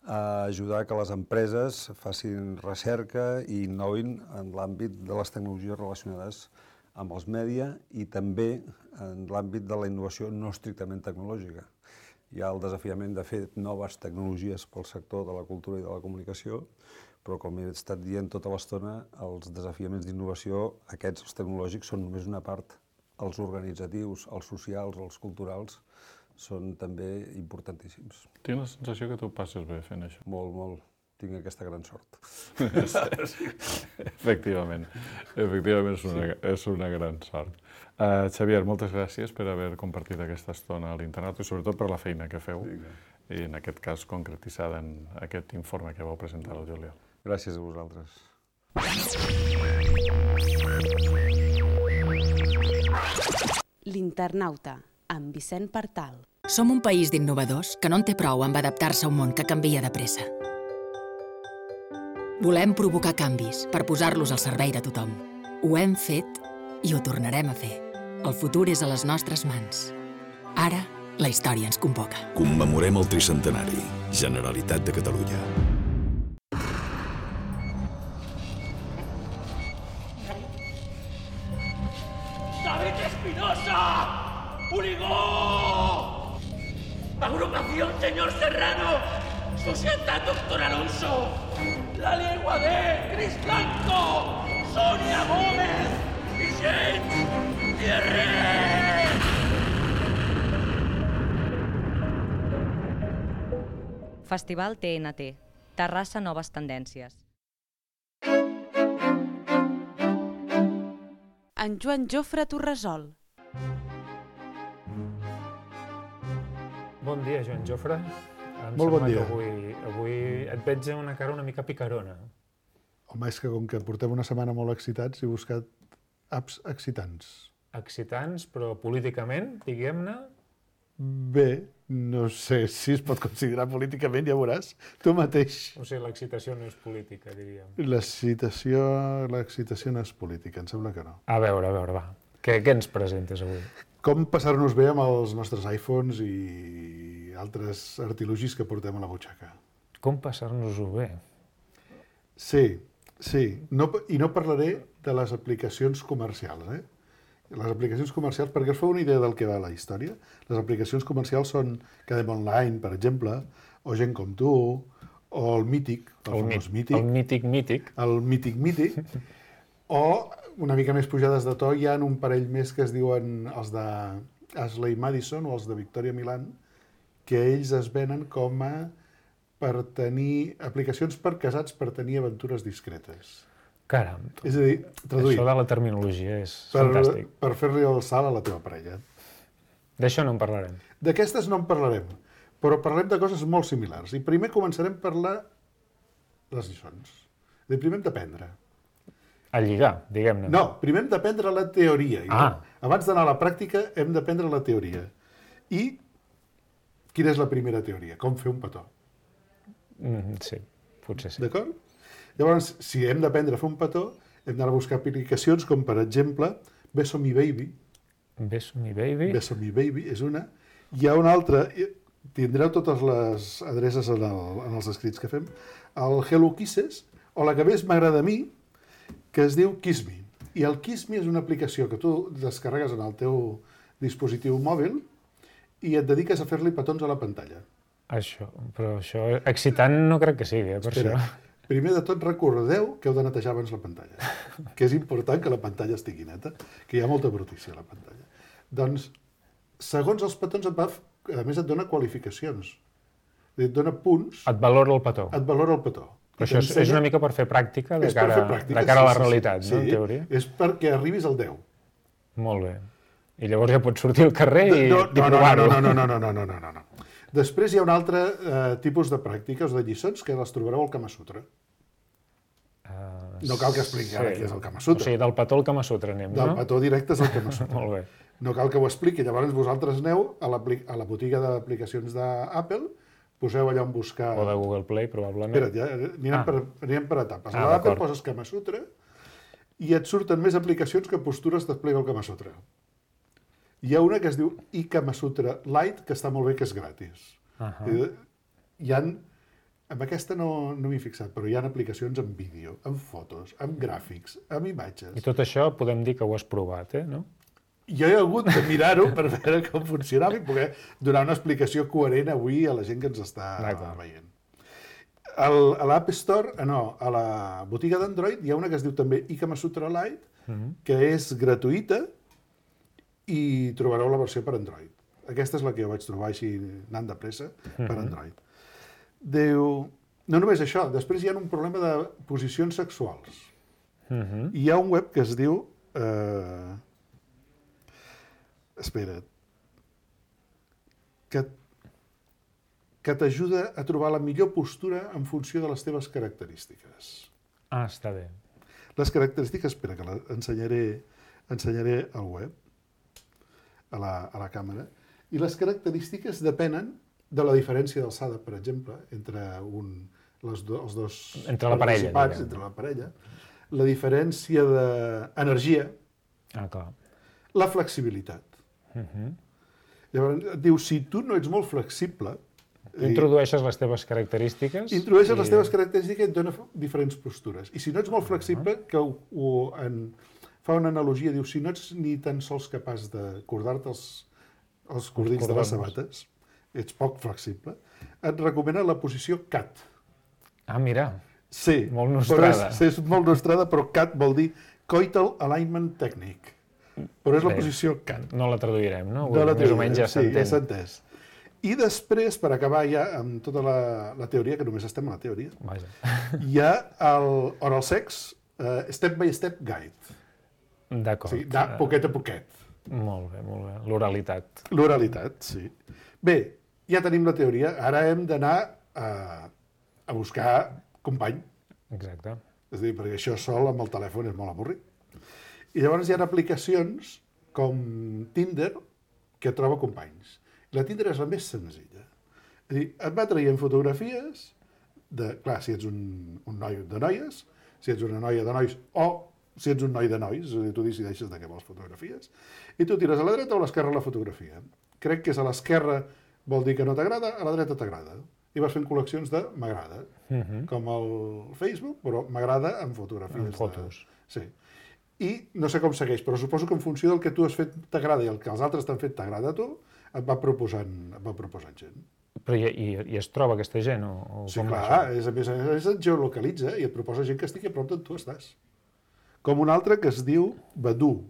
a ajudar que les empreses facin recerca i innovin en l'àmbit de les tecnologies relacionades amb els mèdia i també en l'àmbit de la innovació no estrictament tecnològica. hi ha el desafiament de fer noves tecnologies pel sector de la cultura i de la comunicació, però com he estat dient tota l'estona, els desafiaments d'innovació, aquests, els tecnològics, són només una part. Els organitzatius, els socials, els culturals, són també importantíssims. Tinc la sensació que tu passes bé fent això. Molt, molt. Tinc aquesta gran sort. Efectivament. Efectivament és una, és una gran sort. Uh, Xavier, moltes gràcies per haver compartit aquesta estona a l'internat i sobretot per la feina que feu, i en aquest cas concretitzada en aquest informe que vau presentar al juliol. Gràcies a vosaltres. L'Internauta, amb Vicent Partal. Som un país d'innovadors que no en té prou amb adaptar-se a un món que canvia de pressa. Volem provocar canvis per posar-los al servei de tothom. Ho hem fet i ho tornarem a fer. El futur és a les nostres mans. Ara, la història ens convoca. Commemorem el tricentenari. Generalitat de Catalunya. ¡David Espinosa! ¡Unigó! Agrupación Señor Serrano. Societat Doctor Alonso. La Legua de Cris Blanco. Sonia Gómez. Vicent Thierry. Festival T N T. Terrassa Noves Tendències. En Joan Jofre Torresol. Bon dia, Joan Jofre. Em Molt bon sembla dia. que avui, avui et veig amb una cara una mica picarona. Home, és que com que portem una setmana molt excitats, he buscat apps excitants. Excitants, però políticament, diguem-ne, Bé, no sé si es pot considerar políticament, ja veuràs, tu mateix. o sigui, l'excitació no és política, diríem. L'excitació l'excitació no és política, em sembla que no. A veure, a veure, va. Què, què ens presentes avui? Com passar-nos bé amb els nostres iPhones i altres artilugis que portem a la butxaca. Com passar-nos-ho bé? Sí, sí. No, I no parlaré de les aplicacions comercials, eh? Les aplicacions comercials, perquè us feu una idea del que va la història, les aplicacions comercials són Cadem Online, per exemple, o Gent com tu, o el Mític, el, el famós Mític. El mític mític. El Mític Mític. O, una mica més pujades de to, hi ha un parell més que es diuen els de Ashley Madison o els de Victoria Milan, que ells es venen com a per tenir aplicacions per casats per tenir aventures discretes. Caram, És a dir, traduït, això de la terminologia és per, fantàstic. per fer-li el salt a la teva parella. D'això no en parlarem. D'aquestes no en parlarem, però parlem de coses molt similars. I primer començarem per la... les lliçons. I primer hem d'aprendre. A lligar, diguem-ne. No, primer hem d'aprendre la teoria. I Ah. Abans d'anar a la pràctica hem d'aprendre la teoria. I quina és la primera teoria? Com fer un petó. Mm, sí, potser sí. D'acord? Llavors, si hem d'aprendre a fer un petó, hem d'anar a buscar aplicacions com, per exemple, Beso Mi Baby. Beso mi baby. Beso Mi Baby és una. Hi ha una altra, tindreu totes les adreces en, el, en els escrits que fem, el Hello Kisses, o la que més m'agrada a mi, que es diu Kiss Me. I el Kiss Me és una aplicació que tu descarregues en el teu dispositiu mòbil i et dediques a fer-li petons a la pantalla. Això, però això excitant no crec que sigui, eh, per Espera, això. primer de tot recordeu que heu de netejar abans la pantalla, que és important que la pantalla estigui neta, que hi ha molta brutícia a la pantalla. Doncs, segons els petons, et va, a més et dona qualificacions, et dona punts, Et valora el petó. et valora el petó. Però això és, és una mica per fer pràctica de És per cara, fer pràctica, de cara a la sí, sí, realitat, sí, no, en sí, teoria? és perquè arribis al deu. Molt bé. I llavors ja pots sortir al carrer i, no, i no, no, provar-ho. no, no, no, no, no, no, no, no. Després hi ha un altre eh, tipus de pràctiques o de lliçons que les trobareu al Kama Sutra. Uh, No cal que expliqui ara què és el Kama Sutra. O sigui, del petó al Kama Sutra anem, Del no? petó directe és el Kama Sutra. Molt bé. No cal que ho expliqui. Llavors vosaltres aneu a, a la botiga d'aplicacions d'Apple, poseu allà on buscar... O de Google Play, probablement. Espera't, ja, anirem, Ah. per, anirem per etapes. Ah, A l'Apple d'acord. poses Kama Sutra i et surten més aplicacions que postures desplega el Kama Sutra. Hi ha una que es diu iKama Sutra Lite, que està molt bé, que és gratis. Ahà. I, hi ha, amb aquesta no, no m'hi he fixat, però hi ha aplicacions amb vídeo, amb fotos, amb gràfics, amb imatges. I tot això podem dir que ho has provat, eh, no? jo he hagut de mirar-ho per veure com funcionava i poder donar una explicació coherent avui a la gent que ens està veient. El, a l'App Store, no, a la botiga d'Android hi ha una que es diu també Ikama Sutra Lite, mm-hmm. que és gratuïta i trobareu la versió per Android. Aquesta és la que jo vaig trobar així anant de pressa per Android. Mm-hmm. Diu, no només això, després hi ha un problema de posicions sexuals. Mm-hmm. Hi ha un web que es diu... Eh, espera't, que, que t'ajuda a trobar la millor postura en funció de les teves característiques. Ah, està bé. Les característiques, espera, que l'ensenyaré ensenyaré al web, a la, a la càmera, i les característiques depenen de la diferència d'alçada, per exemple, entre un, les do, els dos entre la parella, entre la parella, la diferència d'energia, ah, clar. La flexibilitat. Uh-huh. Llavors, diu, si tu no ets molt flexible... Tu introdueixes les teves característiques... Introdueixes i... les teves característiques i et dona diferents postures. I si no ets molt flexible, uh-huh. que ho, ho en, fa una analogia, diu, si no ets ni tan sols capaç de cordar-te els, els cordills de les sabates, ets poc flexible, et recomana la posició cat. Ah, mira. Sí. Molt nostrada. És, és molt nostrada, però cat vol dir Coital Alignment Technique. Però és la Bé, posició cat. No la traduirem, no? no la Més o menys ja s'entén. Sí, ja s'ha entès. I després, per acabar ja amb tota la, la teoria, que només estem a la teoria, Vaja. hi ha el Oral Sex uh, Step by Step Guide. D'acord. O sigui, de poquet a poquet. Molt bé, molt bé. L'oralitat. L'oralitat, sí. Bé, ja tenim la teoria. Ara hem d'anar a, a buscar company. Exacte. És a dir, perquè això sol amb el telèfon és molt avorrit. I llavors hi ha aplicacions com Tinder que troba companys. La Tinder és la més senzilla. És a dir, et va traient fotografies de, clar, si ets un, un noi de noies, si ets una noia de nois o si ets un noi de nois, és a dir, tu decideixes de què vols fotografies, i tu tires a la dreta o a l'esquerra la fotografia. Crec que és a l'esquerra vol dir que no t'agrada, a la dreta t'agrada. I vas fent col·leccions de m'agrada, uh-huh. com el Facebook, però m'agrada en fotografies. En fotos. De... Sí. I no sé com segueix, però suposo que en funció del que tu has fet t'agrada i el que els altres t'han fet t'agrada a tu, et va proposant, et va proposant gent. Però i, i, i es troba aquesta gent? O, o sí, com clar, és, a més a més et geolocalitza i et proposa gent que estigui a prop d'on tu estàs. Com un altre que es diu Badoo.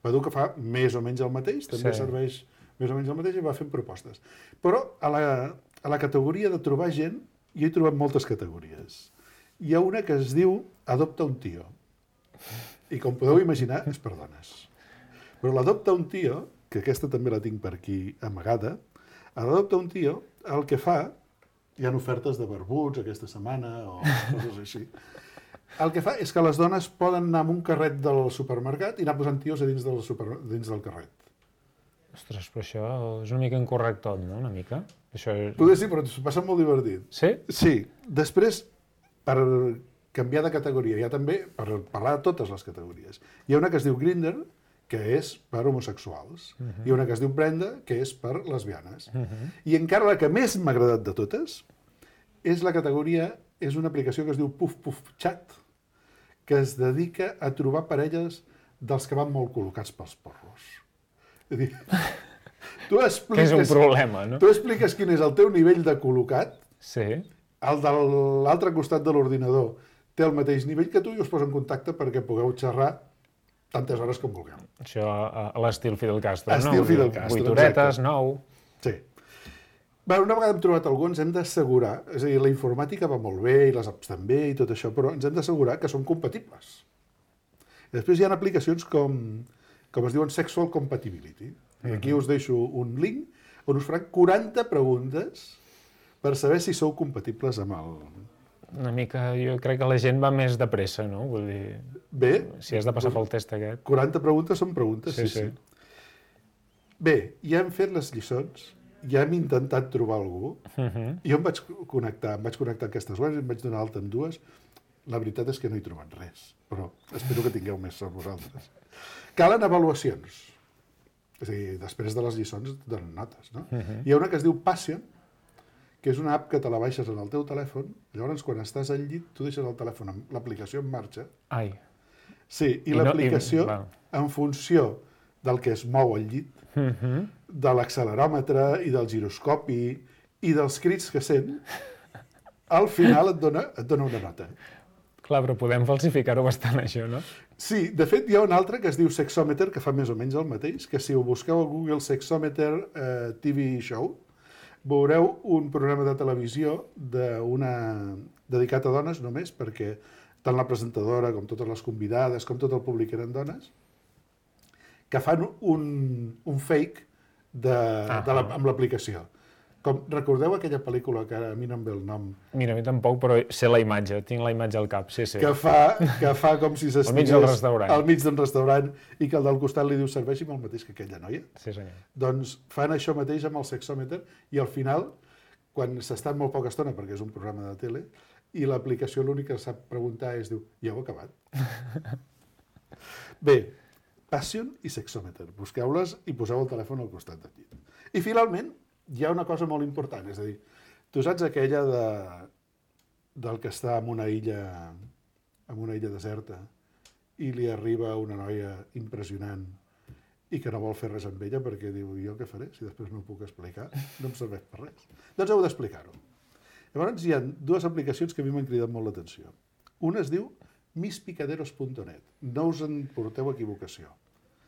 Badoo que fa més o menys el mateix, també sí. serveix més o menys el mateix i va fent propostes. Però a la, a la categoria de trobar gent, jo he trobat moltes categories. Hi ha una que es diu Adopta un tio. I com podeu imaginar, és per dones. Però l'Adopta un tio, que aquesta també la tinc per aquí amagada, l'Adopta un tio, el que fa, hi ha ofertes de barbuts aquesta setmana o coses així, el que fa és que les dones poden anar amb un carret del supermercat i anar posant tios a dins del, super, dins del carret. Ostres, però això és una mica incorrectot, no? Una mica? Això és... Poder sí, però s'ho passa molt divertit. Sí? Sí. Després, per canviar de categoria, hi ha també, per parlar de totes les categories, hi ha una que es diu Grindr, que és per homosexuals, uh-huh. hi ha una que es diu Brenda, que és per lesbianes. Uh-huh. I encara la que més m'ha agradat de totes és la categoria, és una aplicació que es diu Puff Puff Chat, que es dedica a trobar parelles dels que van molt col·locats pels porros. És a dir, tu expliques... Que és un problema, no? Tu expliques quin és el teu nivell de col·locat, sí. El de l'altre costat de l'ordinador té el mateix nivell que tu i us posa en contacte perquè pugueu xerrar tantes hores com vulgueu. Això a l'estil Fidel Castro, no? Estil Fidel Castro, vuit horetes, nou... Sí. Bé, una vegada hem trobat algú, ens hem d'assegurar, és a dir, la informàtica va molt bé i les apps també i tot això, però ens hem d'assegurar que són compatibles. I després hi ha aplicacions com, com es diuen Sexual Compatibility. I aquí us deixo un link on us faran quaranta preguntes per saber si sou compatibles amb el... Una mica, jo crec que la gent va més de pressa, no? Vull dir, bé, si has de passar pel test aquest. quaranta preguntes són preguntes, sí, sí. sí. sí. Bé, ja hem fet les lliçons, ja hem intentat trobar algú, uh-huh. jo em vaig connectar, em vaig connectar a aquestes webs, em vaig donar alta en dues, la veritat és que no he trobat res, però espero que tingueu més sort vosaltres. Calen avaluacions, és a dir, després de les lliçons et donen notes, no? Uh-huh. Hi ha una que es diu Passion, que és una app que te la baixes en el teu telèfon, llavors quan estàs al llit tu deixes el telèfon amb l'aplicació en marxa. Ai. Sí, i, I l'aplicació, no, en funció del que es mou al llit, Mhm. de l'acceleròmetre i del giroscopi i dels crits que sent, al final et dona, et dona una nota. Clar, però podem falsificar-ho bastant, això, no? Sí, de fet hi ha un altre que es diu Sexometer, que fa més o menys el mateix, que si ho busqueu a Google Sexometer eh, T V Show, veureu un programa de televisió d'una dedicat a dones només, perquè tant la presentadora com totes les convidades, com tot el públic eren dones, que fan un, un fake de, Ah, de la, ah. amb l'aplicació. Com, recordeu aquella pel·lícula que ara a mi no em ve el nom, Mira, a mi tampoc, però sé la imatge, tinc la imatge al cap, sí, sí. que fa, que fa com si Al mig s'estigués del restaurant. al mig d'un restaurant i que el del costat li diu serveixi'm el mateix que aquella noia. Sí, senyor. Doncs fan això mateix amb el sexòmeter i al final, quan s'estan molt poca estona, perquè és un programa de tele, i l'aplicació l'únic que sap preguntar és, diu, ja heu acabat? Bé, Passion i Sexòmeter. Busqueu-les i poseu el telèfon al costat del llit. I finalment, hi ha una cosa molt important, és a dir, tu saps aquella de, del que està en una illa, en una illa deserta i li arriba una noia impressionant i que no vol fer res amb ella perquè diu, jo què faré si després no ho puc explicar? No em serveix per res. Doncs heu d'explicar-ho. Llavors hi ha dues aplicacions que a mi m'han cridat molt l'atenció. Una es diu miss picaderos punt net. No us en porteu equivocació.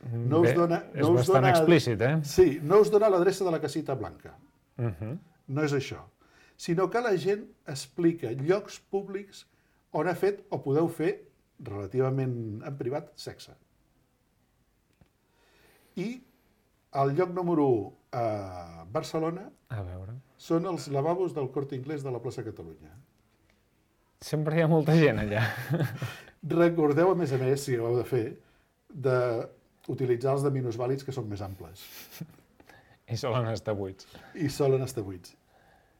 No us Bé, dona, és no us bastant dona, explícit, eh? Sí, no us dona l'adreça de la casita blanca. Uh -huh. No és això. Sinó que la gent explica llocs públics on ha fet o podeu fer, relativament en privat, sexe. I el lloc número u a Barcelona A veure... són els lavabos del Corte Inglés de la plaça Catalunya. Sempre hi ha molta gent allà. Recordeu, a més a més, si ho heu de fer, d'utilitzar els de minusvàlids que són més amples. I solen estar buits. I solen estar buits.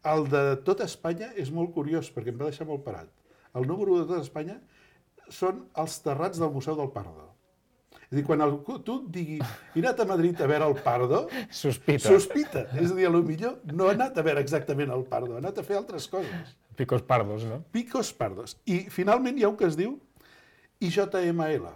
El de tot Espanya és molt curiós, perquè em va deixar molt parat. El número de tot Espanya són els terrats del Museu del Pardo. És a dir, quan algú, tu et digui he anat a Madrid a veure el Pardo, Sospita. sospita. És a dir, potser no ha anat a veure exactament el Pardo, ha anat a fer altres coses. Picos pardos, no? Picos pardos. I finalment hi ha un que es diu I J M L.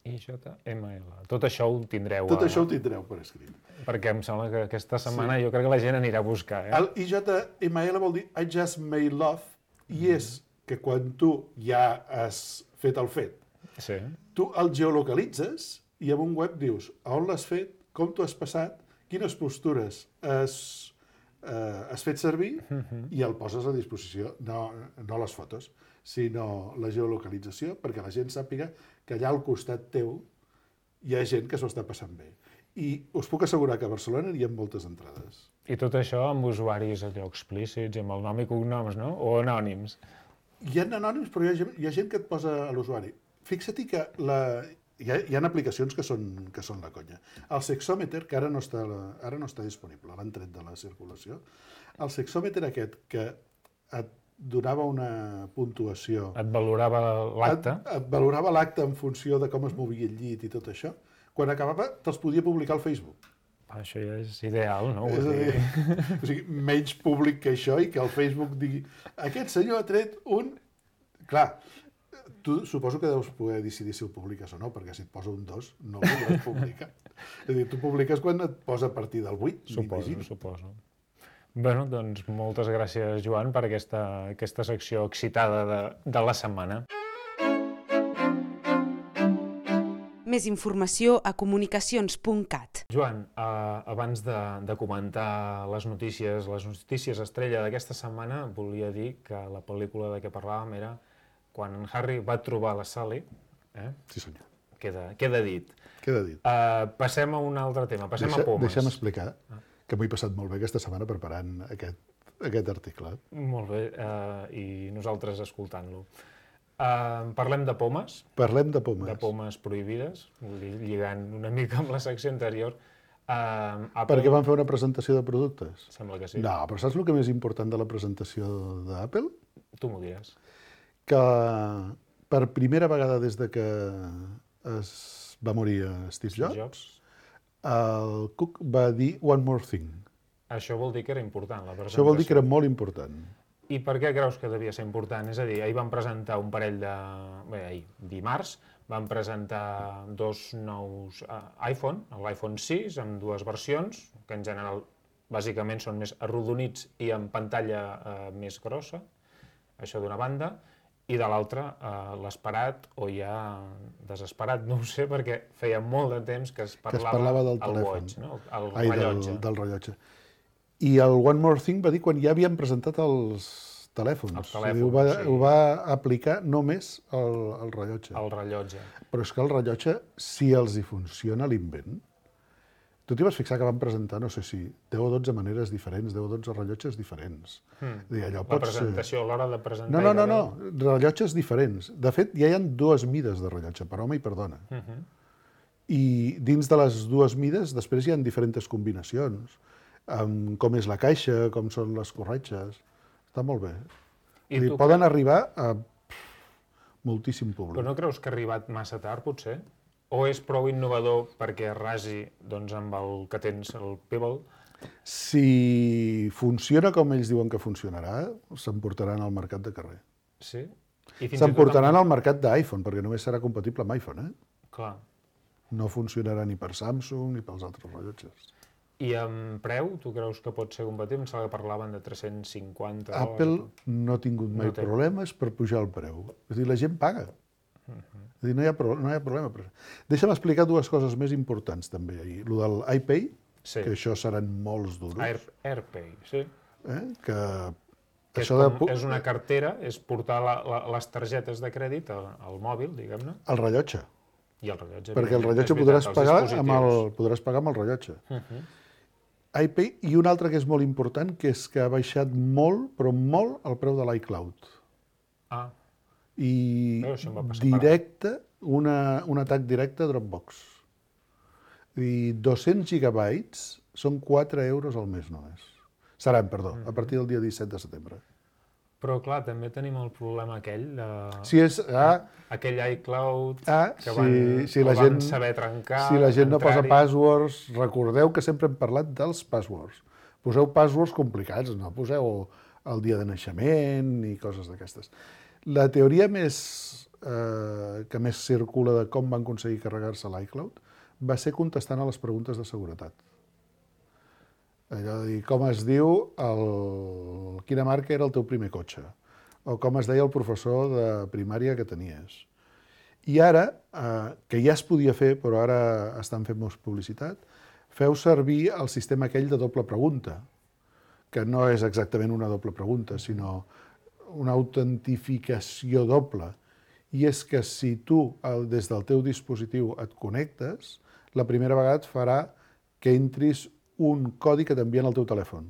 I J M L. Tot això ho tindreu. Tot a... això ho tindreu per escrit. Perquè em sembla que aquesta setmana Sí. jo crec que la gent anirà a buscar, eh? El I J M L vol dir I just made love, i és que quan tu ja has fet el fet, Sí. tu el geolocalitzes i en un web dius a on l'has fet, com t'ho has passat, quines postures has, eh, has fet servir i el poses a disposició, no, no les fotos, sinó la geolocalització, perquè la gent sàpiga que allà al costat teu hi ha gent que s'ho està passant bé. I us puc assegurar que a Barcelona hi ha moltes entrades. I tot això amb usuaris allò explícits, amb el nom i cognoms, no? O anònims. Hi ha anònims, però hi ha, gent- hi ha gent que et posa a l'usuari. Fixa't que la, hi, ha, hi ha aplicacions que són, que són la conya. El Sexòmeter, que ara no està, ara no està disponible, l'han tret de la circulació, el Sexòmeter aquest que et donava una puntuació, Et valorava l'acte. et, et valorava l'acte en funció de com es movia el llit i tot això, quan acabava te'ls podia publicar al Facebook. Això ja és ideal, no? És a Vull dir, dir... o sigui, menys públic que això i que el Facebook digui aquest senyor ha tret un... Clar, tu suposo que deus poder decidir si ho publiques o no, perquè si et posa un dos no el podràs publicar. És a dir, tu publiques quan et posa a partir del vuit, Suposo, m'imagino. suposo. Bé, doncs moltes gràcies, Joan, per aquesta, aquesta secció excitada de, de la setmana. Més informació a comunicacions punt cat. Joan, eh, abans de, de comentar les notícies, les notícies estrella d'aquesta setmana, volia dir que la pel·lícula de què parlàvem era quan en Harry va trobar la Sally, eh? Sí, senyor. Queda, queda dit. Queda dit. Uh, passem a un altre tema, passem Deixa, a pomes. deixa'm explicar que m'ho he passat molt bé aquesta setmana preparant aquest, aquest article. Molt bé, uh, i nosaltres escoltant-lo. Uh, parlem de pomes, Parlem de pomes. de pomes prohibides, vull dir, lligant una mica amb la secció anterior. Uh, Apple... Perquè van fer una presentació de productes? Sembla que sí. No, però saps el que més important de la presentació d'Apple? Tu m'ho diràs. Que per primera vegada des de que es va morir Steve Jobs, Jobs. el Cook va dir One More Thing. Això vol dir que era important, la presentació. Això vol dir que era molt important. I per què creus que devia ser important? És a dir, ahir van presentar un parell de... Bé, ahir, dimarts, van presentar dos nous uh, iPhone, l'iPhone sis, amb dues versions, que en general bàsicament són més arrodonits i amb pantalla uh, més grossa, això d'una banda, i de l'altra uh, l'esperat, o ja desesperat, no ho sé, perquè feia molt de temps que es parlava, que es parlava del el telèfon. watch, no? el Ai, rellotge. Del, del rellotge. I el One More Thing va dir quan ja havien presentat els telèfons. Els telèfons, ho va, sí. Ho va aplicar només el, el rellotge. El rellotge. Però és que el rellotge, si els hi funciona l'invent, tu t'hi vas fixar que van presentar, no sé si, deu o dotze maneres diferents, deu o dotze rellotges diferents. Hmm. Dir, allò La pot presentació, ser... a l'hora de presentar... No, no, no, no, rellotges diferents. De fet, ja hi ha dues mides de rellotge, per home i per dona. Uh -huh. I dins de les dues mides, després hi ha diferents combinacions, amb com és la caixa, com són les corretges. Està molt bé. I dir, poden que... arribar a pff, moltíssim públic. Però no creus que ha arribat massa tard, potser? O és prou innovador perquè rasi doncs, amb el que tens, el Pebble? Si funciona com ells diuen que funcionarà, s'emportaran al mercat de carrer. Sí? S'emportaran al mercat d'iPhone, perquè només serà compatible amb iPhone, eh? Clar. No funcionarà ni per Samsung ni pels altres rellotges. I amb preu, tu creus que pot ser compatible? Em sembla que parlaven de tres-cents cinquanta dòlars. Apple no ha tingut mai no té... problemes per pujar el preu. És a dir, la gent paga. Uh -huh. És a dir, no hi ha, pro... no hi ha problema. Deixa'm explicar dues coses més importants també ahir. Lo del iPay, sí. que això seran molts duros. Air... AirPay, sí. Eh? Que... que això és, com, de... és una cartera, és portar la, la, les targetes de crèdit al, al mòbil, diguem-ne. El rellotge. I el rellotge. Perquè el rellotge podràs pagar, amb el, podràs pagar amb el rellotge. Uh -huh. iPay, i un altre que és molt important, que és que ha baixat molt, però molt, el preu de l'iCloud. Ah. I directe, una, un atac directe a Dropbox. I dos-cents gigabytes són quatre euros al mes només. Seran, perdó, a partir del dia disset de setembre. Però, clar, també tenim el problema aquell de... Si és... Ah, aquell iCloud ah, que van, si, si la gent, van saber trencar... Si la gent no posa passwords, recordeu que sempre hem parlat dels passwords. Poseu passwords complicats, no poseu el dia de naixement ni coses d'aquestes. La teoria més, eh, que més circula de com van aconseguir carregar-se l'iCloud va ser contestant a les preguntes de seguretat. Allò de dir, com es diu, el... quina marca era el teu primer cotxe, o com es deia el professor de primària que tenies. I ara, eh, que ja es podia fer, però ara estan fent més publicitat, feu servir el sistema aquell de doble pregunta, que no és exactament una doble pregunta, sinó una autentificació doble. I és que si tu, des del teu dispositiu, et connectes, la primera vegada et farà que entris un codi que t'envien al teu telèfon.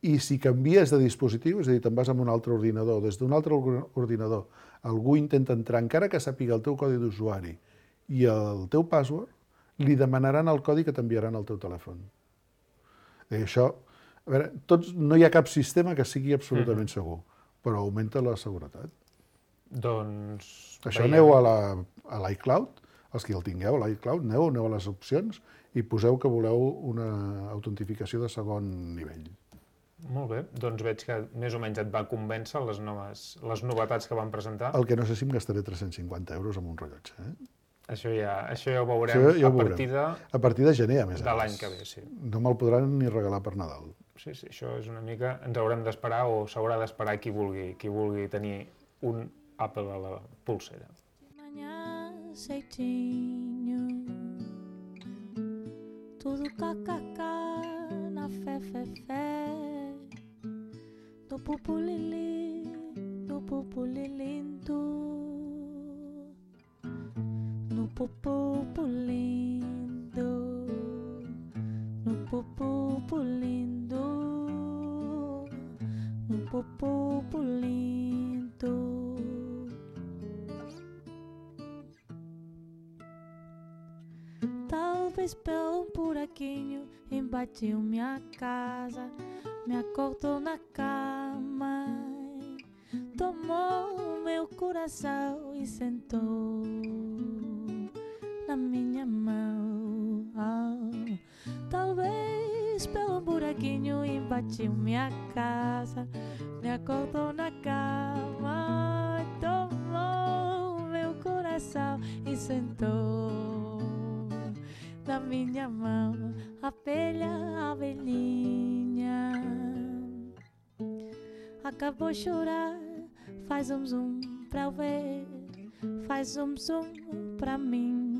I si canvies de dispositiu, és a dir, te'n vas amb un altre ordinador, des d'un altre ordinador, algú intenta entrar, encara que sàpiga el teu codi d'usuari i el teu password, li demanaran el codi que t'enviaran al teu telèfon. I això, a veure, tots, no hi ha cap sistema que sigui absolutament segur, però augmenta la seguretat. Doncs... Això aneu a l'iCloud, els que el tingueu, a l'iCloud, aneu, aneu a les opcions i poseu que voleu una autentificació de segon nivell. Molt bé, doncs veig que més o menys et va convèncer les, noves, les novetats que van presentar. El que no sé si em gastaré tres-cents cinquanta euros amb un rellotge. Eh? Això, ja, això ja ho veurem ja ho a, partir de, a partir de gener, a més. De l'any que ve, sí. No me'l podran ni regalar per Nadal. Sí, sí, això és una mica... Ens haurem d'esperar o s'haurà d'esperar qui vulgui, qui vulgui tenir un Apple a la pulsera. Tudo kkk na fé, fé, fé. No pupulili, no pupulilindu. No pupulindo, no pupulindo, no pupulindo. Talvez pelo um buraquinho invadiu minha casa, me acordou na cama, tomou meu coração e sentou na minha mão. Oh, talvez pelo um buraquinho invadiu minha casa, me acordou na cama, tomou meu sentou na minha mão, abelha, abelhinha. Acabou de chorar, faz um zoom pra eu ver, faz um zoom pra mim.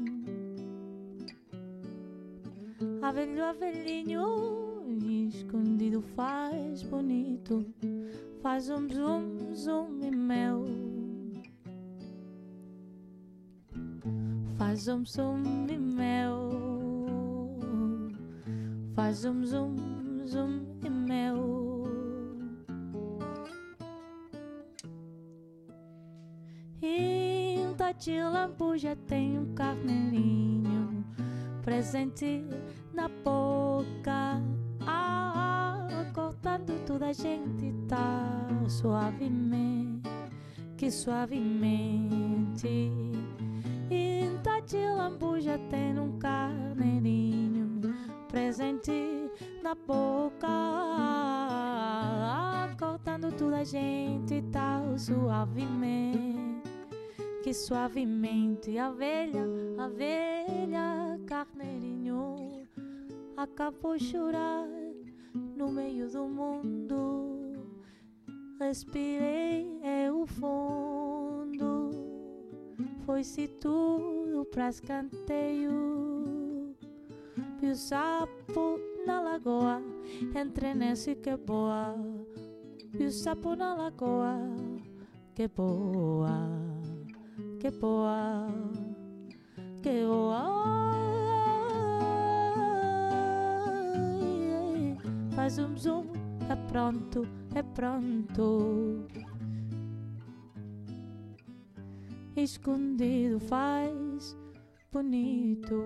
Abelho, abelhinho, escondido faz bonito, faz um zoom, zoom e mel. Faz um zoom e mel, faz um zoom, zoom e mel. E um de lambuja tem um carneirinho presente na boca, ah, ah, cortando toda a gente tá suavemente, que suavemente. E de lambuja tem um carneirinho presente na boca, ah, cortando toda a gente tal suavemente, que suavemente. A velha, a velha carneirinho acabou de chorar no meio do mundo. Respirei eu fundo, foi-se tudo pra escanteio. Vi o sapo na lagoa, entrei nesse que boa. Vi o sapo na lagoa, que boa, que boa, que boa. Faz um zoom, é pronto, é pronto. Escondido faz bonito.